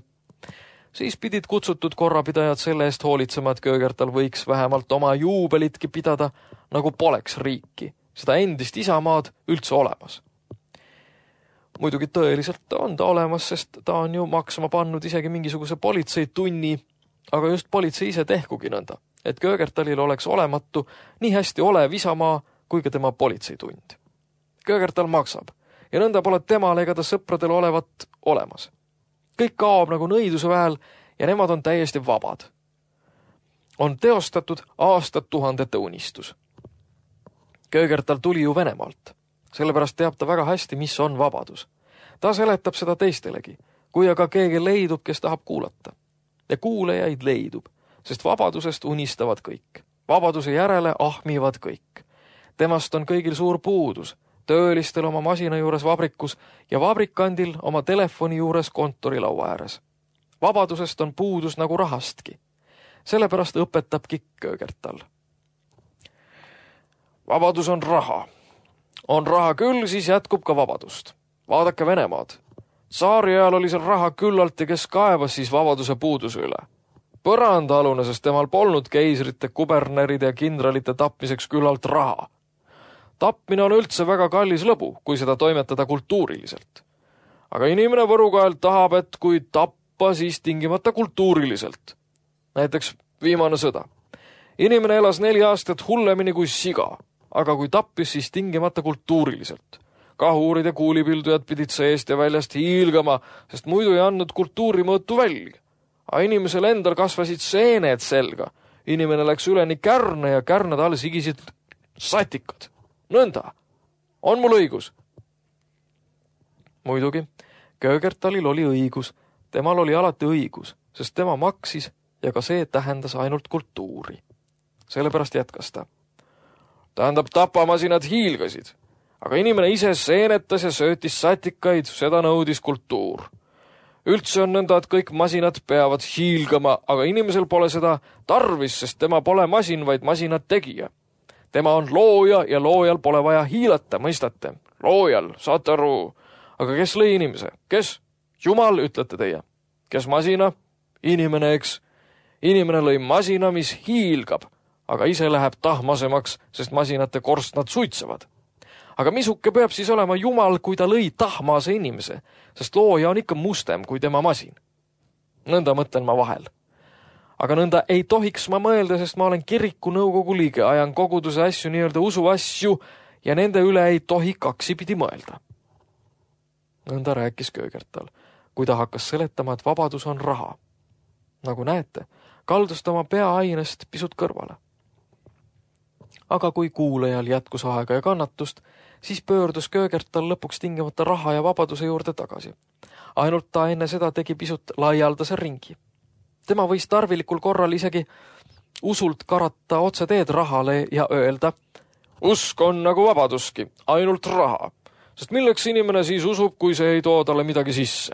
siis pidid kutsutud korrapidajad selle eest hoolitsema, et Köögertal võiks vähemalt oma juubelitki pidada, nagu poleks riiki, seda endist isamaad üldse olemas. Muidugi tõeliselt on ta olemas, sest ta on ju maksma pannud isegi mingisuguse politseitunni, aga just politsei ise tehkugi nõnda, et Köögertalil oleks olematu nii hästi olev isamaa kui ka tema politseitund. Köögertal maksab ja nõnda pole temal ega ta sõpradel olevat olemas. Kõik kaob nagu nõiduse väel ja nemad on täiesti vabad. On teostatud aastatuhandete unistus. Köögertal tuli ju Venemaalt. Sellepärast teab ta väga hästi, mis on vabadus. Ta seletab seda teistelegi, kui aga keegi leidub, kes tahab kuulata. Ja kuulajaid leidub, sest vabadusest unistavad kõik. Vabaduse järele ahmivad kõik. Temast on kõigil suur puudus, töölistel oma masina juures vabrikus ja vabrikandil oma telefoni juures kontorilaua ääres. Vabadusest on puudus nagu rahastki. Sellepärast õpetabki Köögertal. Vabadus on raha. On raha küll, siis jätkub ka vabadust. Vaadake Venemaad. Tsaari ajal oli seal raha küllalt ja kes kaevas siis vabaduse puuduse üle. Põrandaalune, sest temal polnud keisrite, kuberneride ja kindralite tapmiseks küllalt raha. Tapmine on üldse väga kallis lõbu, kui seda toimetada kultuuriliselt. Aga inimene Võrukael tahab, et kui tappa, siis tingimata kultuuriliselt. Näiteks viimane sõda. Inimene elas 4 aastat hullemini kui siga, aga kui tappis, siis tingimata kultuuriliselt. Kahuurid ja kuulipildujad pidid seest ja väljast hiilgama, sest muidu ei andnud kultuurimõõtu välja. Aga inimesel endal kasvasid seened selga. Inimene läks üleni kärne ja kärned all sigisid satikad. Nõnda. On mul õigus? Muidugi, Köögertalil oli õigus. Temal oli alati õigus, sest tema maksis ja ka see tähendas ainult kultuuri. Sellepärast jätkas ta. Tähendab, tapamasinad hiilgasid, aga inimene ise seenetas ja söötis satikaid, seda nõudis kultuur. Üldse on nõnda, et kõik masinad peavad hiilgama, aga inimesel pole seda tarvis, sest tema pole masin, vaid masinad tegija. Tema on looja ja loojal pole vaja hiilata, mõistate? Loojal, saate aru. Aga kes lõi inimese? Kes? Jumal, ütlete teie. Kes masina? Inimene, eks. Inimene lõi masina, mis hiilgab, aga ise läheb tahmasemaks, sest masinate korstnad suitsevad. Aga misuke peab siis olema Jumal, kui ta lõi tahmase inimese, sest looja on ikka mustem kui tema masin. Nõnda mõtlen ma vahel. Aga nõnda ei tohiks ma mõelda, sest ma olen kiriku nõukogu liige, ajan koguduse asju, nii-öelda usu asju, ja nende üle ei tohi kaksipidi mõelda. Nõnda rääkis Köögertal, kui ta hakkas seletama, et vabadus on raha. Nagu näete, kaldus ta oma peaainest pisut kõrvale. Aga kui kuulajal jätkus aega ja kannatust, siis pöördus Köögertal lõpuks tingimata raha ja vabaduse juurde tagasi. Ainult ta enne seda tegi pisut laialdase ringi. Tema võis tarvilikul korral isegi usult karata otse teed rahale ja öelda, usk on nagu vabaduski, ainult raha, sest milleks inimene siis usub, kui see ei too talle midagi sisse.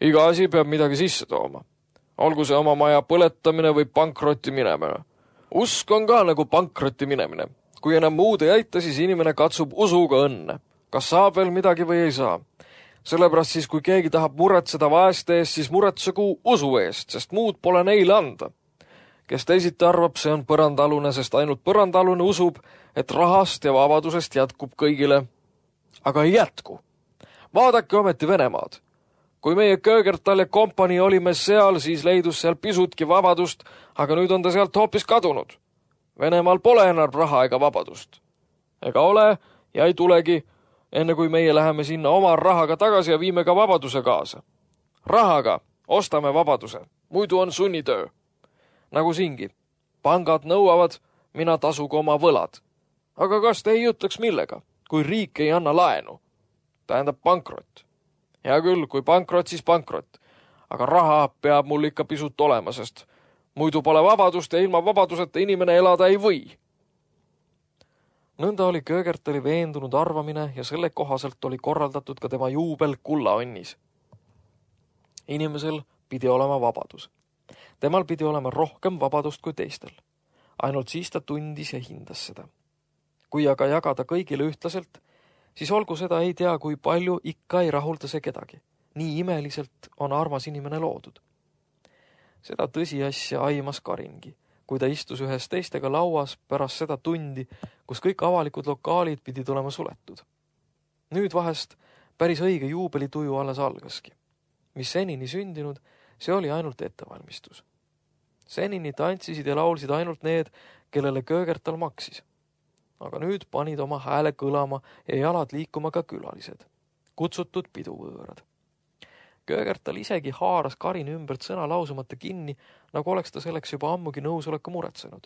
Iga asi peab midagi sisse tooma. Olgu see oma maja põletamine või pankrotti minemine. Usk on ka nagu pankrotti minemine. Kui enam muud ei aita, siis inimene katsub usuga õnne. Kas saab veel midagi või ei saa? Sellepärast siis, kui keegi tahab muretseda vaeste eest, siis muretsegu usu eest, sest muud pole neile anda. Kes teisiti arvab, see on põrandalune, sest ainult põrandalune usub, et rahast ja vabadusest jätkub kõigile. Aga ei jätku. Vaadake ometi Venemaad. Kui meie Köögertal ja kompanii olime seal, siis leidus seal pisutki vabadust, aga nüüd on ta sealt hoopis kadunud. Venemaal pole enam raha ega vabadust. Ega ole ja ei tulegi, enne kui meie läheme sinna oma rahaga tagasi ja viime ka vabaduse kaasa. Rahaga ostame vabaduse, muidu on sunnitöö. Nagu siingi, pangad nõuavad, mina tasugu oma võlad. Aga kas te ei ütleks millega, kui riik ei anna laenu? Tähendab pankrot. Hea küll, kui pankrot, siis pankrot. Aga raha peab mul ikka pisut olema, sest muidu pole vabadust ja ilma vabaduseta inimene elada ei või. Nõnda oli Köögertali veendunud arvamine ja selle kohaselt oli korraldatud ka tema juubel kullaonnis. Inimesel pidi olema vabadus. Temal pidi olema rohkem vabadust kui teistel. Ainult siis ta tundis ja hindas seda. Kui aga jagada kõigile ühtlaselt, siis olgu seda ei tea, kui palju ikka ei rahulda see kedagi. Nii imeliselt on armas inimene loodud. Seda tõsiasja aimas Karingi, kui ta istus ühes teistega lauas pärast seda tundi, kus kõik avalikud lokaalid pidid olema suletud. Nüüd vahest päris õige juubelituju alles algaski. Mis senini sündinud, see oli ainult ettevalmistus. Senini tantsisid ja laulsid ainult need, kellele Köögertal maksis. Aga nüüd panid oma hääle kõlama ja jalad liikuma ka külalised, kutsutud piduvõõrad. Köögertal isegi haaras Karini ümbert sõna lausumata kinni, nagu oleks ta selleks juba ammugi nõusoleku muretsenud,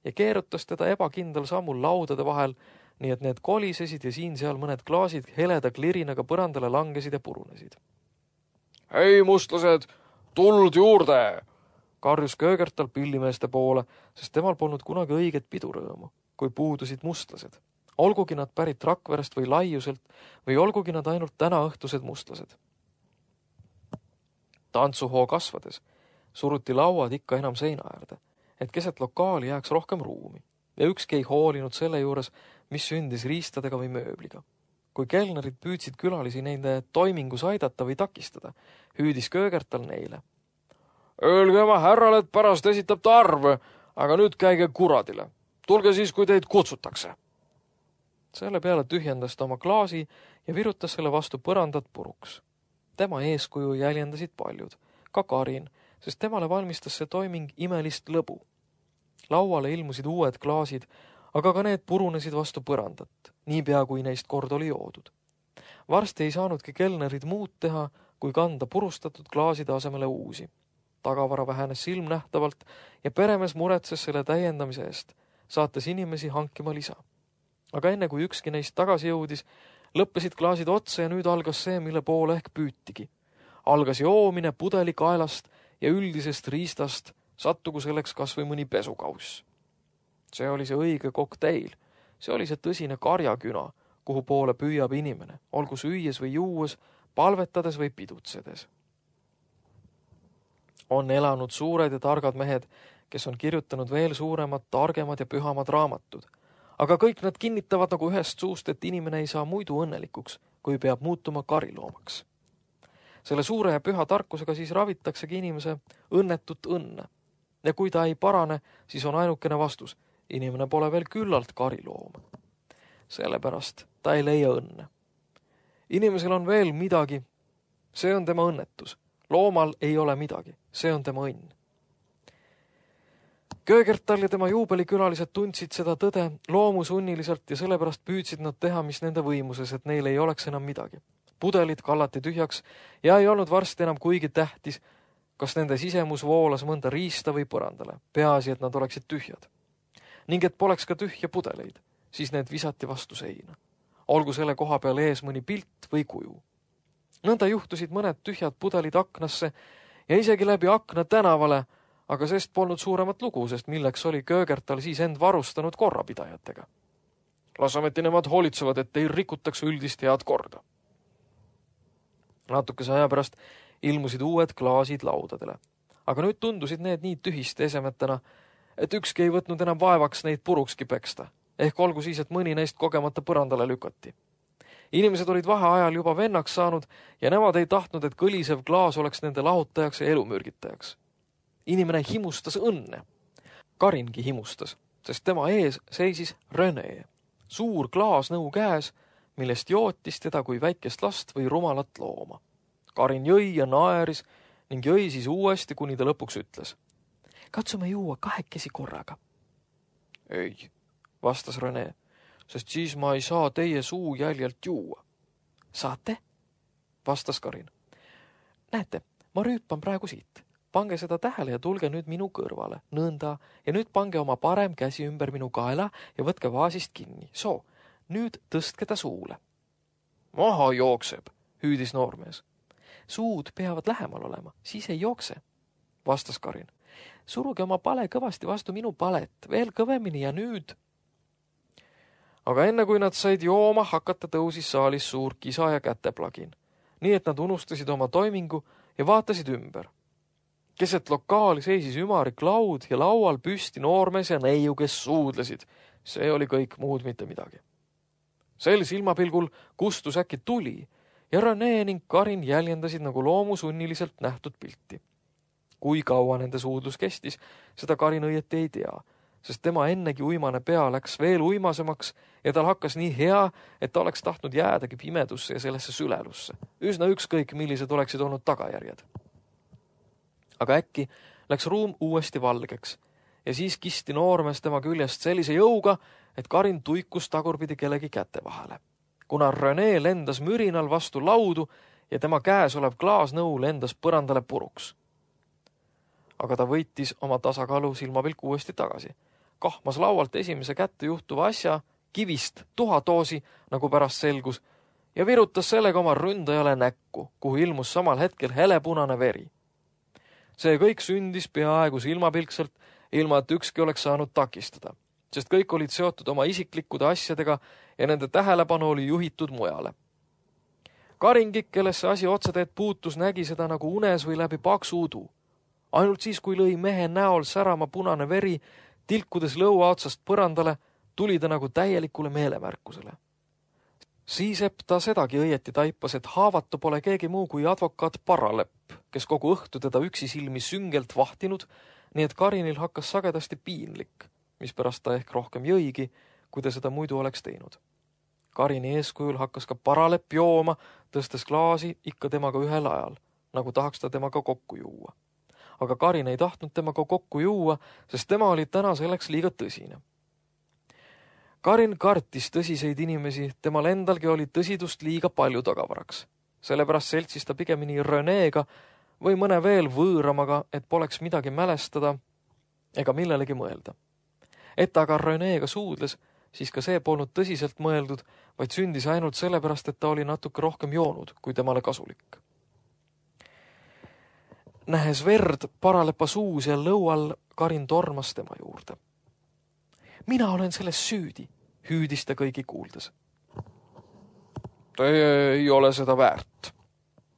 ja keerutas teda ebakindel sammul laudade vahel, nii et need kolisesid ja siin-seal mõned klaasid heleda klirinaga põrandale langesid ja purunesid. Hei, mustlased, tuld juurde! Karjus Köögertal pillimeeste poole, sest temal polnud kunagi õiget pidurõõmu, kui puudusid mustlased. Olgugi nad pärit Rakverest või Laiuselt või olgugi nad ainult tänaõhtused mustlased. Tantsuhoo kasvades suruti lauad ikka enam seina äärde, et keset lokaali jääks rohkem ruumi ja ükski ei hoolinud selle juures, mis sündis riistadega või mööbliga. Kui kelnerid püüdsid külalisi nende toimingus aidata või takistada, hüüdis Köögertal neile. Öelge oma härrale, et pärast esitab ta arve, aga nüüd käige kuradile. Tulge siis, kui teid kutsutakse. Selle peale tühjendas ta oma klaasi ja virutas selle vastu põrandat puruks. Tema eeskuju jäljendasid paljud, ka Karin, sest temale valmistas see toiming imelist lõbu. Lauale ilmusid uued klaasid, aga ka need purunesid vastu põrandat, niipea kui neist kord oli joodud. Varsti ei saanudki kelnerid muud teha, kui kanda purustatud klaaside asemele uusi. Tagavara vähenes silmnähtavalt ja peremees muretses selle täiendamise eest, saates inimesi hankima lisa. Aga enne kui ükski neist tagasi jõudis, lõppesid klaasid otsa ja nüüd algas see, mille poole ehk püütigi. Algas joomine pudeli kaelast ja üldisest riistast, sattugu selleks kas või mõni pesukauss. See oli see õige kokteil, see oli see tõsine karjaküna, kuhu poole püüab inimene, olgu süües või juues, palvetades või pidutsedes. On elanud suured ja targad mehed, kes on kirjutanud veel suuremad, targemad ja pühamad raamatud. Aga kõik nad kinnitavad nagu ühest suust, et inimene ei saa muidu õnnelikuks, kui peab muutuma kariloomaks. Selle suure ja püha tarkusega siis ravitaksegi inimese õnnetut õnne. Ja kui ta ei parane, siis on ainukene vastus. Inimene pole veel küllalt kariloom. Sellepärast ta ei leia õnne. Inimesel on veel midagi. See on tema õnnetus. Loomal ei ole midagi. See on tema õnn. Köögertal ja tema juubelikülalised tundsid seda tõde loomusunniliselt ja sellepärast püüdsid nad teha, mis nende võimuses, et neil ei oleks enam midagi. Pudelid kallati tühjaks ja ei olnud varsti enam kuigi tähtis, kas nende sisemus voolas mõnda riista või põrandale. Peaasi, et nad oleksid tühjad. Ning et poleks ka tühja pudeleid, siis need visati vastu seina. Olgu selle koha peal ees mõni pilt või kuju. Nõnda juhtusid mõned tühjad pudelid aknasse ja isegi läbi akna tänavale, aga sest polnud suuremat lugu, sest milleks oli Köögertal siis end varustanud korrapidajatega. Las ometi nemad hoolitsevad, et ei rikutaks üldist head korda. Natukese aja pärast ilmusid uued klaasid laudadele, aga nüüd tundusid need nii tühiste esemetena, et ükski ei võtnud enam vaevaks neid purukski peksta, ehk olgu siis, et mõni neist kogemata põrandale lükati. Inimesed olid vaheajal juba vennaks saanud ja nemad ei tahtnud, et kõlisev klaas oleks nende lahutajaks ja elumürgitajaks. Inimene himustas õnne. Karingi himustas, sest tema ees seisis René, suur klaasnõu käes, millest jootis teda kui väikest last või rumalat looma. Karin jõi ja naeris ning jõi siis uuesti, kuni ta lõpuks ütles. Katsume juua 2 korraga. Ei, vastas René, sest siis ma ei saa teie suu jäljelt juua. Saate? Vastas Karin. Näete, ma rüüpan praegu siit. Pange seda tähele ja tulge nüüd minu kõrvale. Nõnda. Ja nüüd pange oma parem käsi ümber minu kaela ja võtke vaasist kinni. Soo, nüüd tõstke ta suule. Maha jookseb, hüüdis noormees. Suud peavad lähemal olema, siis ei jookse, vastas Karin. Suruge oma pale kõvasti vastu minu palet, veel kõvemini ja nüüd. Aga enne kui nad said jooma hakata, tõusis saalis suur kisa ja käteplagin, nii et nad unustasid oma toimingu ja vaatasid ümber. Keset lokaali seisis ümarik laud ja laual püsti noormees ja neiu, kes suudlesid. See oli kõik muud mitte midagi. Sel silmapilgul kustus äkki tuli ja René ning Karin jäljendasid nagu loomusunniliselt nähtud pilti. Kui kaua nende suudlus kestis, seda Karin õieti ei tea, sest tema ennegi uimane pea läks veel uimasemaks ja tal hakkas nii hea, et ta oleks tahtnud jäädagi pimedusse ja sellesse sülelusse. Üsna ükskõik, millised oleksid olnud tagajärjed. Aga äkki läks ruum uuesti valgeks ja siis kisti noormees tema küljest sellise jõuga, et Karin tuikus tagurpidi kellegi käte vahele. Kuna René lendas mürinal vastu laudu ja tema käes olev klaasnõu lendas põrandale puruks. Aga ta võitis oma tasakaalu silmapilk uuesti tagasi. Kahmas laualt esimese kätte juhtuva asja, kivist tuhatoosi, nagu pärast selgus, ja virutas sellega oma ründajale näkku, kuhu ilmus samal hetkel helepunane veri. See kõik sündis peaaegu silmapilkselt, ilma et ükski oleks saanud takistada, sest kõik olid seotud oma isiklikkude asjadega ja nende tähelepanu oli juhitud mujale. Karingi, kellesse asi otseteed puutus, nägi seda nagu unes või läbi paksu udu. Ainult siis, kui lõi mehe näol särama punane veri, tilkudes lõua otsast põrandale, tuli ta nagu täielikule meelemärkusele. Siisep ta sedagi õieti taipas, et haavatu pole keegi muu kui advokaat Paralepp, kes kogu õhtu teda üksi silmi süngelt vahtinud, nii et Karinil hakkas sagedasti piinlik, mispärast ta ehk rohkem jõigi, kui ta seda muidu oleks teinud. Karini eeskujul hakkas ka Paralepp jooma, tõstes klaasi ikka temaga ühel ajal, nagu tahaks ta temaga kokku juua. Aga Karin ei tahtnud temaga kokku juua, sest tema oli täna selleks liiga tõsine. Karin kartis tõsiseid inimesi, temal endalgi oli tõsidust liiga palju tagavaraks. Sellepärast seltsis ta pigemini Renéga või mõne veel võõramaga, et poleks midagi mälestada ega millelegi mõelda. Et aga Renéga suudles, siis ka see polnud tõsiselt mõeldud, vaid sündis ainult sellepärast, et ta oli natuke rohkem joonud, kui temale kasulik. Nähes verd Paralepa suus ja lõual, Karin tormas tema juurde. Mina olen selles süüdi, hüüdis ta kõigi kuuldes. Teie ei ole seda väärt,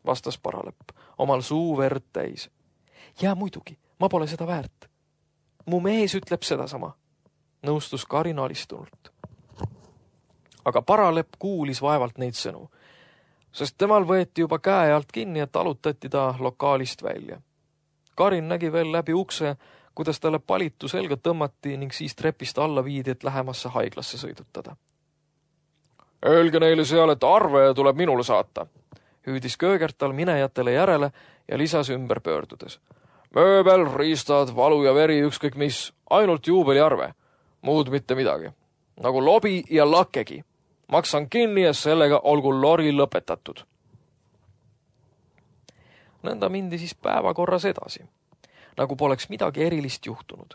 vastas Paralepp, omal suu verd täis. Ja muidugi, ma pole seda väärt. Mu mees ütleb sedasama, nõustus Karin alistunult. Aga Paralepp kuulis vaevalt neid sõnu. sest temal võeti juba käe alt kinni ja talutati ta lokaalist välja. Karin nägi veel läbi ukse, kuidas talle palitu selga tõmmati ning siis trepist alla viidi, et lähemasse haiglasse sõidutada. Öelge neile seal, et arve tuleb minule saata, hüüdis Köögertal minejatele järele ja lisas ümber pöördudes. Mööbel, riistad, valu ja veri, ükskõik mis, ainult juubeliarve, muud mitte midagi. Nagu lobi ja lakkegi. Maksan kinni ja sellega olgu lori lõpetatud. Nõnda mindi siis päevakorras edasi, nagu poleks midagi erilist juhtunud.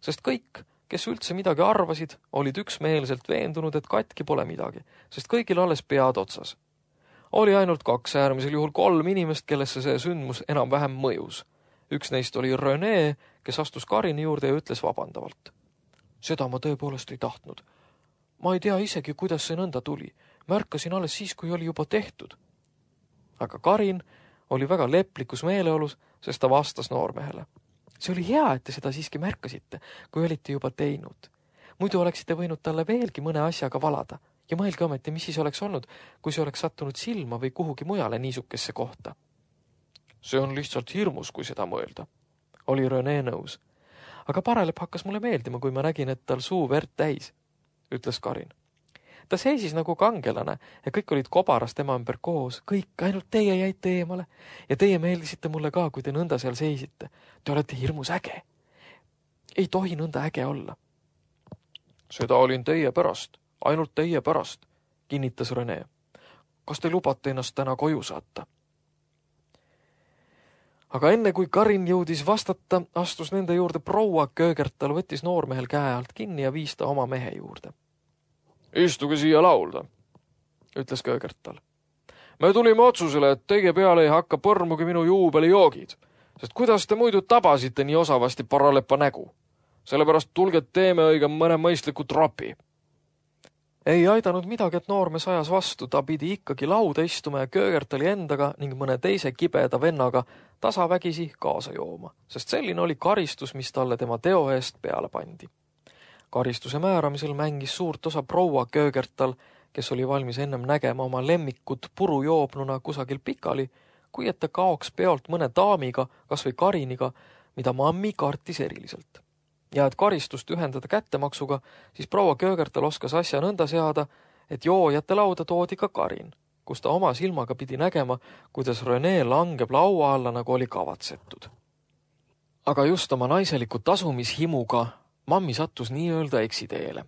Sest kõik, kes üldse midagi arvasid, olid üksmeelselt veendunud, et katki pole midagi, sest kõigil alles pead otsas. Oli ainult 2, äärmisel juhul 3 inimest, kellesse see sündmus enam-vähem mõjus. Üks neist oli René, kes astus Karini juurde ja ütles vabandavalt. Seda ma tõepoolest ei tahtnud. Ma ei tea isegi, kuidas see nõnda tuli. Märkasin alles siis, kui oli juba tehtud. Aga Karin oli väga leplikus meeleolus, sest ta vastas noormehele. See oli hea, et te seda siiski märkasite, kui olite juba teinud. Muidu oleksite võinud talle veelgi mõne asjaga valada. Ja mõelge ometi, mis siis oleks olnud, kui see oleks sattunud silma või kuhugi mujale niisukesse kohta. See on lihtsalt hirmus, kui seda mõelda. Oli René nõus. Aga Parelep hakkas mulle meeldima, kui ma nägin, et tal suu verd täis, ütles Karin. Ta seisis nagu kangelane ja kõik olid kobaras tema ümber koos. Kõik, ainult teie jäite eemale. Ja teie meeldisite mulle ka, kui te nõnda seal seisite. Te olete hirmus äge. Ei tohi nõnda äge olla. Seda olin teie pärast. Ainult teie pärast, kinnitas René. Kas te lubate ennast täna koju saata? Aga enne kui Karin jõudis vastata, astus nende juurde proua Köögertal, võttis noormehel käe alt kinni ja viis ta oma mehe juurde. Istuge siia laulda, ütles Köögertal. Me tulime otsusele, et teie peale ei hakka põrmugi minu juubelijoogid, sest kuidas te muidu tabasite nii osavasti Paralepa nägu? Sellepärast tulge teeme õige mõne mõistliku tropi. Ei aidanud midagi, et noormees ajas vastu, ta pidi ikkagi lauda istuma ja Köögertali endaga ning mõne teise kibeda vennaga tasavägisi kaasa jooma, sest selline oli karistus, mis talle tema teo eest peale pandi. Karistuse määramisel mängis suurt osa proua Köögertal, kes oli valmis ennem nägema oma lemmikut purujoobnuna kusagil pikali, kui et ta kaoks peolt mõne daamiga, kas või Kariniga, mida mammi kartis eriliselt. Ja et karistust ühendada kättemaksuga, siis proua Köögertal oskas asja nõnda seada, et joojate lauda toodi ka Karin, kus ta oma silmaga pidi nägema, kuidas René langeb laua alla, nagu oli kavatsetud. Aga just oma naiseliku tasumishimuga mammi sattus nii-öelda eksiteele.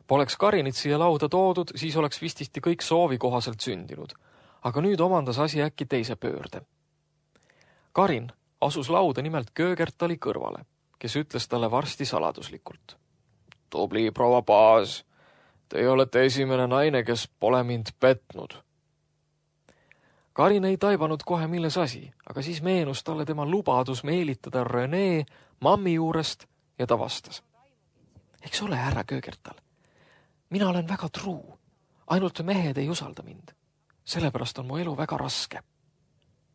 Poleks Karinit siia lauda toodud, siis oleks vististi kõik soovi kohaselt sündinud. Aga nüüd omandas asi äkki teise pöörde. Karin asus lauda nimelt Köögertali kõrvale, kes ütles talle varsti saladuslikult. Tubli proua Baas, te olete esimene naine, kes pole mind petnud. Karin ei taibanud kohe milles asi, aga siis meenus talle tema lubadus meelitada René mammi juurest ja ta vastas. Eks ole, härra Köögertal, mina olen väga truu, ainult mehed ei usalda mind. Sellepärast on mu elu väga raske.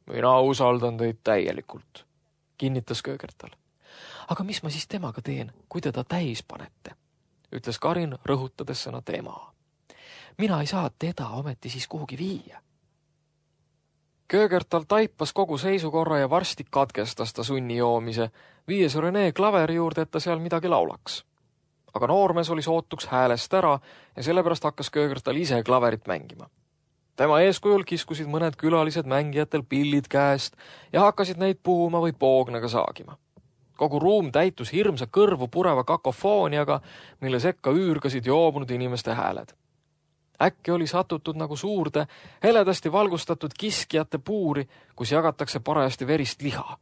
Mina usaldan teid täielikult, kinnitas Köögertal. Aga mis ma siis temaga teen, kui teda täis panete? Ütles Karin, rõhutades sõna tema. Mina ei saa teda ometi siis kuhugi viia. Köögertal taipas kogu seisukorra ja varsti katkestas ta sunni joomise, viies René klaveri juurde, et ta seal midagi laulaks. Aga noormees oli sootuks häälest ära ja sellepärast hakkas Köögertal ise klaverit mängima. Tema eeskujul kiskusid mõned külalised mängijatel pillid käest ja hakkasid neid puhuma või poognaga saagima. Kogu ruum täitus hirmsa kõrvu pureva kakofooniaga, mille sekka üürgasid joobnud inimeste hääled. Äkki oli satutud nagu suurde, heledasti valgustatud kiskjate puuri, kus jagatakse parajasti verist liha.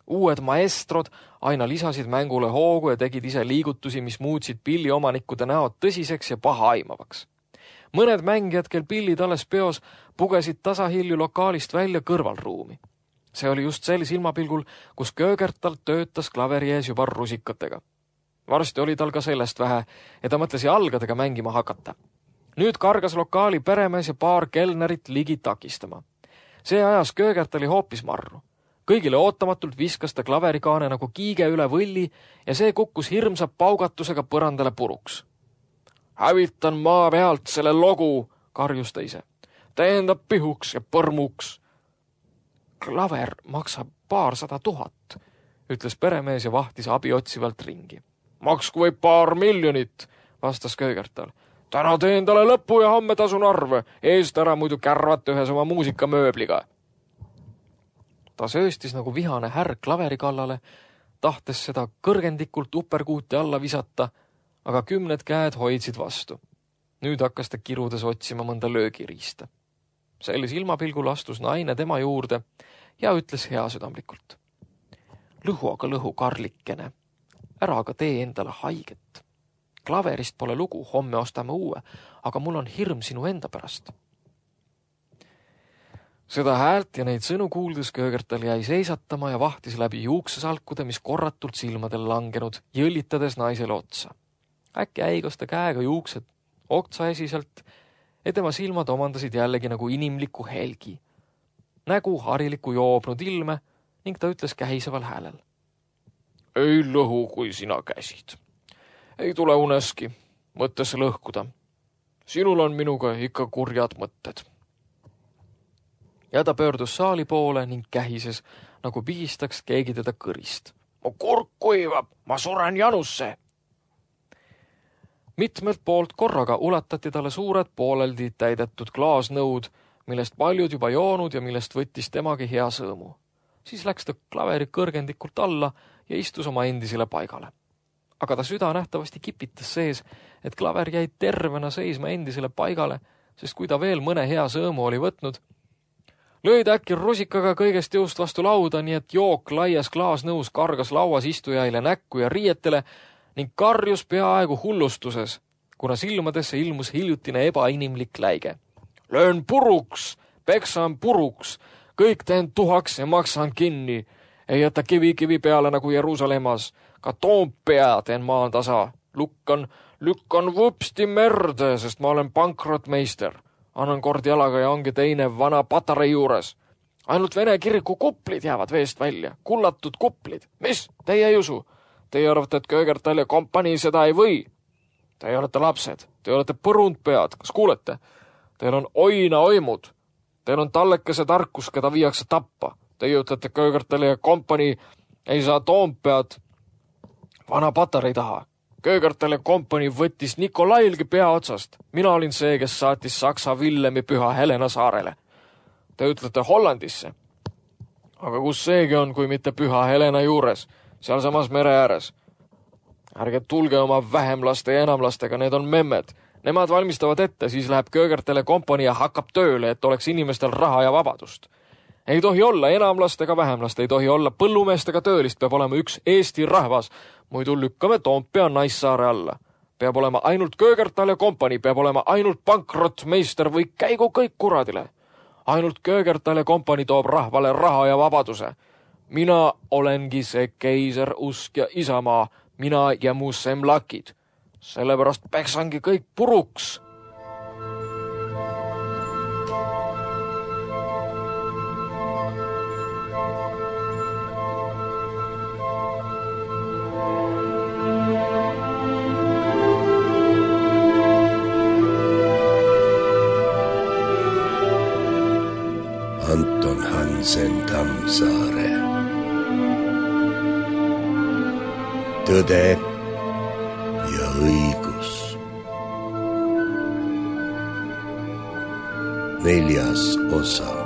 Uued maestrod aina lisasid mängule hoogu ja tegid ise liigutusi, mis muutsid pilliomanikkude näod tõsiseks ja paha aimavaks. Mõned mängijad, kel pillid alles peos, pugesid tasahilju lokaalist välja kõrvalruumi. See oli just sel silmapilgul, kus Köögertal töötas klaveri ees juba rusikatega. Varsti oli tal ka sellest vähe ja ta mõtles jalgadega mängima hakata. Nüüd kargas lokaali peremees ja paar kelnerit ligi takistama. See ajas Köögertali hoopis marru. Kõigile ootamatult viskas ta klaverikaane nagu kiige üle võlli ja see kukkus hirmsa paugatusega põrandale puruks. Hävitan maa pealt selle logu, karjus ta ise. tähendab pihuks ja põrmuks. Klaver maksab 200 000, ütles peremees ja vahtis abi otsivalt ringi. Maksku võib 2 miljonit, vastas Köögertal. Täna teen talle lõpu ja homme tasun arve, eest ära muidu kärvata ühes oma muusikamööbliga. Ta sööstis nagu vihane härg klaveri kallale, tahtes seda kõrgendikult uperkuuti alla visata, aga 10 käed hoidsid vastu. Nüüd hakkas ta kirudes otsima mõnda löögiriista. Sellise ilmapilgul astus naine tema juurde ja ütles heasüdamlikult. Lõhu aga lõhu, Karlikene, ära aga tee endale haiget. Klaverist pole lugu, homme ostame uue, aga mul on hirm sinu enda pärast. Seda häält ja neid sõnu kuuldes Köögertal jäi seisatama ja vahtis läbi juuksesalkude, mis korratult silmadel langenud, jõllitades naisele otsa. Äkki äigas ta käega juuksed oksaesiselt ja tema silmad omandasid jällegi nagu inimliku helgi. Nägu hariliku joobnud ilme ning ta ütles kähiseval häälel. Ei lõhu, kui sina käsid. Ei tule uneski mõttesse lõhkuda. Sinul on minuga ikka kurjad mõtted. Ja ta pöördus saali poole ning kähises, nagu pihistaks keegi teda kõrist. Mu kurk kuivab, ma suren janusse. Mitmelt poolt korraga ulatati talle suured pooleldi täidetud klaasnõud, millest paljud juba joonud ja millest võttis temagi hea sõõmu. Siis läks ta klaveri kõrgendikult alla ja istus oma endisele paigale. Aga ta süda nähtavasti kipitas sees, et klaver jäi tervena seisma endisele paigale, sest kui ta veel mõne hea sõõmu oli võtnud, lõid äkki rusikaga kõigest jõust vastu lauda, nii et jook laias klaasnõus kargas lauas istujaile näkku ja riietele ning karjus peaaegu hullustuses, kuna silmadesse ilmus hiljutine ebainimlik läige. Löön puruks, peksan puruks, kõik teen tuhaks ja maksan kinni. Ei jäta kivi peale nagu Jeruusalemmas, ka Toompea teen maan tasa. Lükkan vupsti merde, sest ma olen pankrotmeister. Annan kord jalaga ja ongi teine vana patarei juures. Ainult Vene kiriku kuplid jäävad veest välja, kullatud kuplid. Mis? Teie ei usu? Teie arvate, et Köögertal ja kompanii seda ei või? Teie olete lapsed, te olete põrundpead, kas kuulete? Teil on oina oimud, teil on tallekese tarkus, keda viiakse tappa. Teie ütlete Köögertal ja kompanii ei saa Toompead vana patarei taha. Köögertal ja kompanii võttis Nikolailgi pea otsast. Mina olin see, kes saatis Saksa Villemi Püha Helena saarele. Te ütlete Hollandisse. Aga kus seegi on, kui mitte Püha Helena juures, sealsamas mere ääres? Ärge tulge oma vähemlaste ja enamlastega, need on memmed. Nemad valmistavad ette, siis läheb Köögertal ja kompanii ja hakkab tööle, et oleks inimestel raha ja vabadust. Ei tohi olla enamlast ega vähemlast, ei tohi olla põllumeest ega töölist, peab olema üks Eesti rahvas. Muidu lükkame Toompea Naissaare alla. Peab olema ainult Köögertal ja kompanii, peab olema ainult pankrotmeister või käigu kõik kuradile. Ainult Köögertal ja kompanii toob rahvale raha ja vabaduse. Mina olengi see keiser, usk ja isamaa, mina ja mu semlakid. Sellepärast peksangi kõik puruks. Anton Hansen Tammsaare. Tõde ja õigus. 4. osa.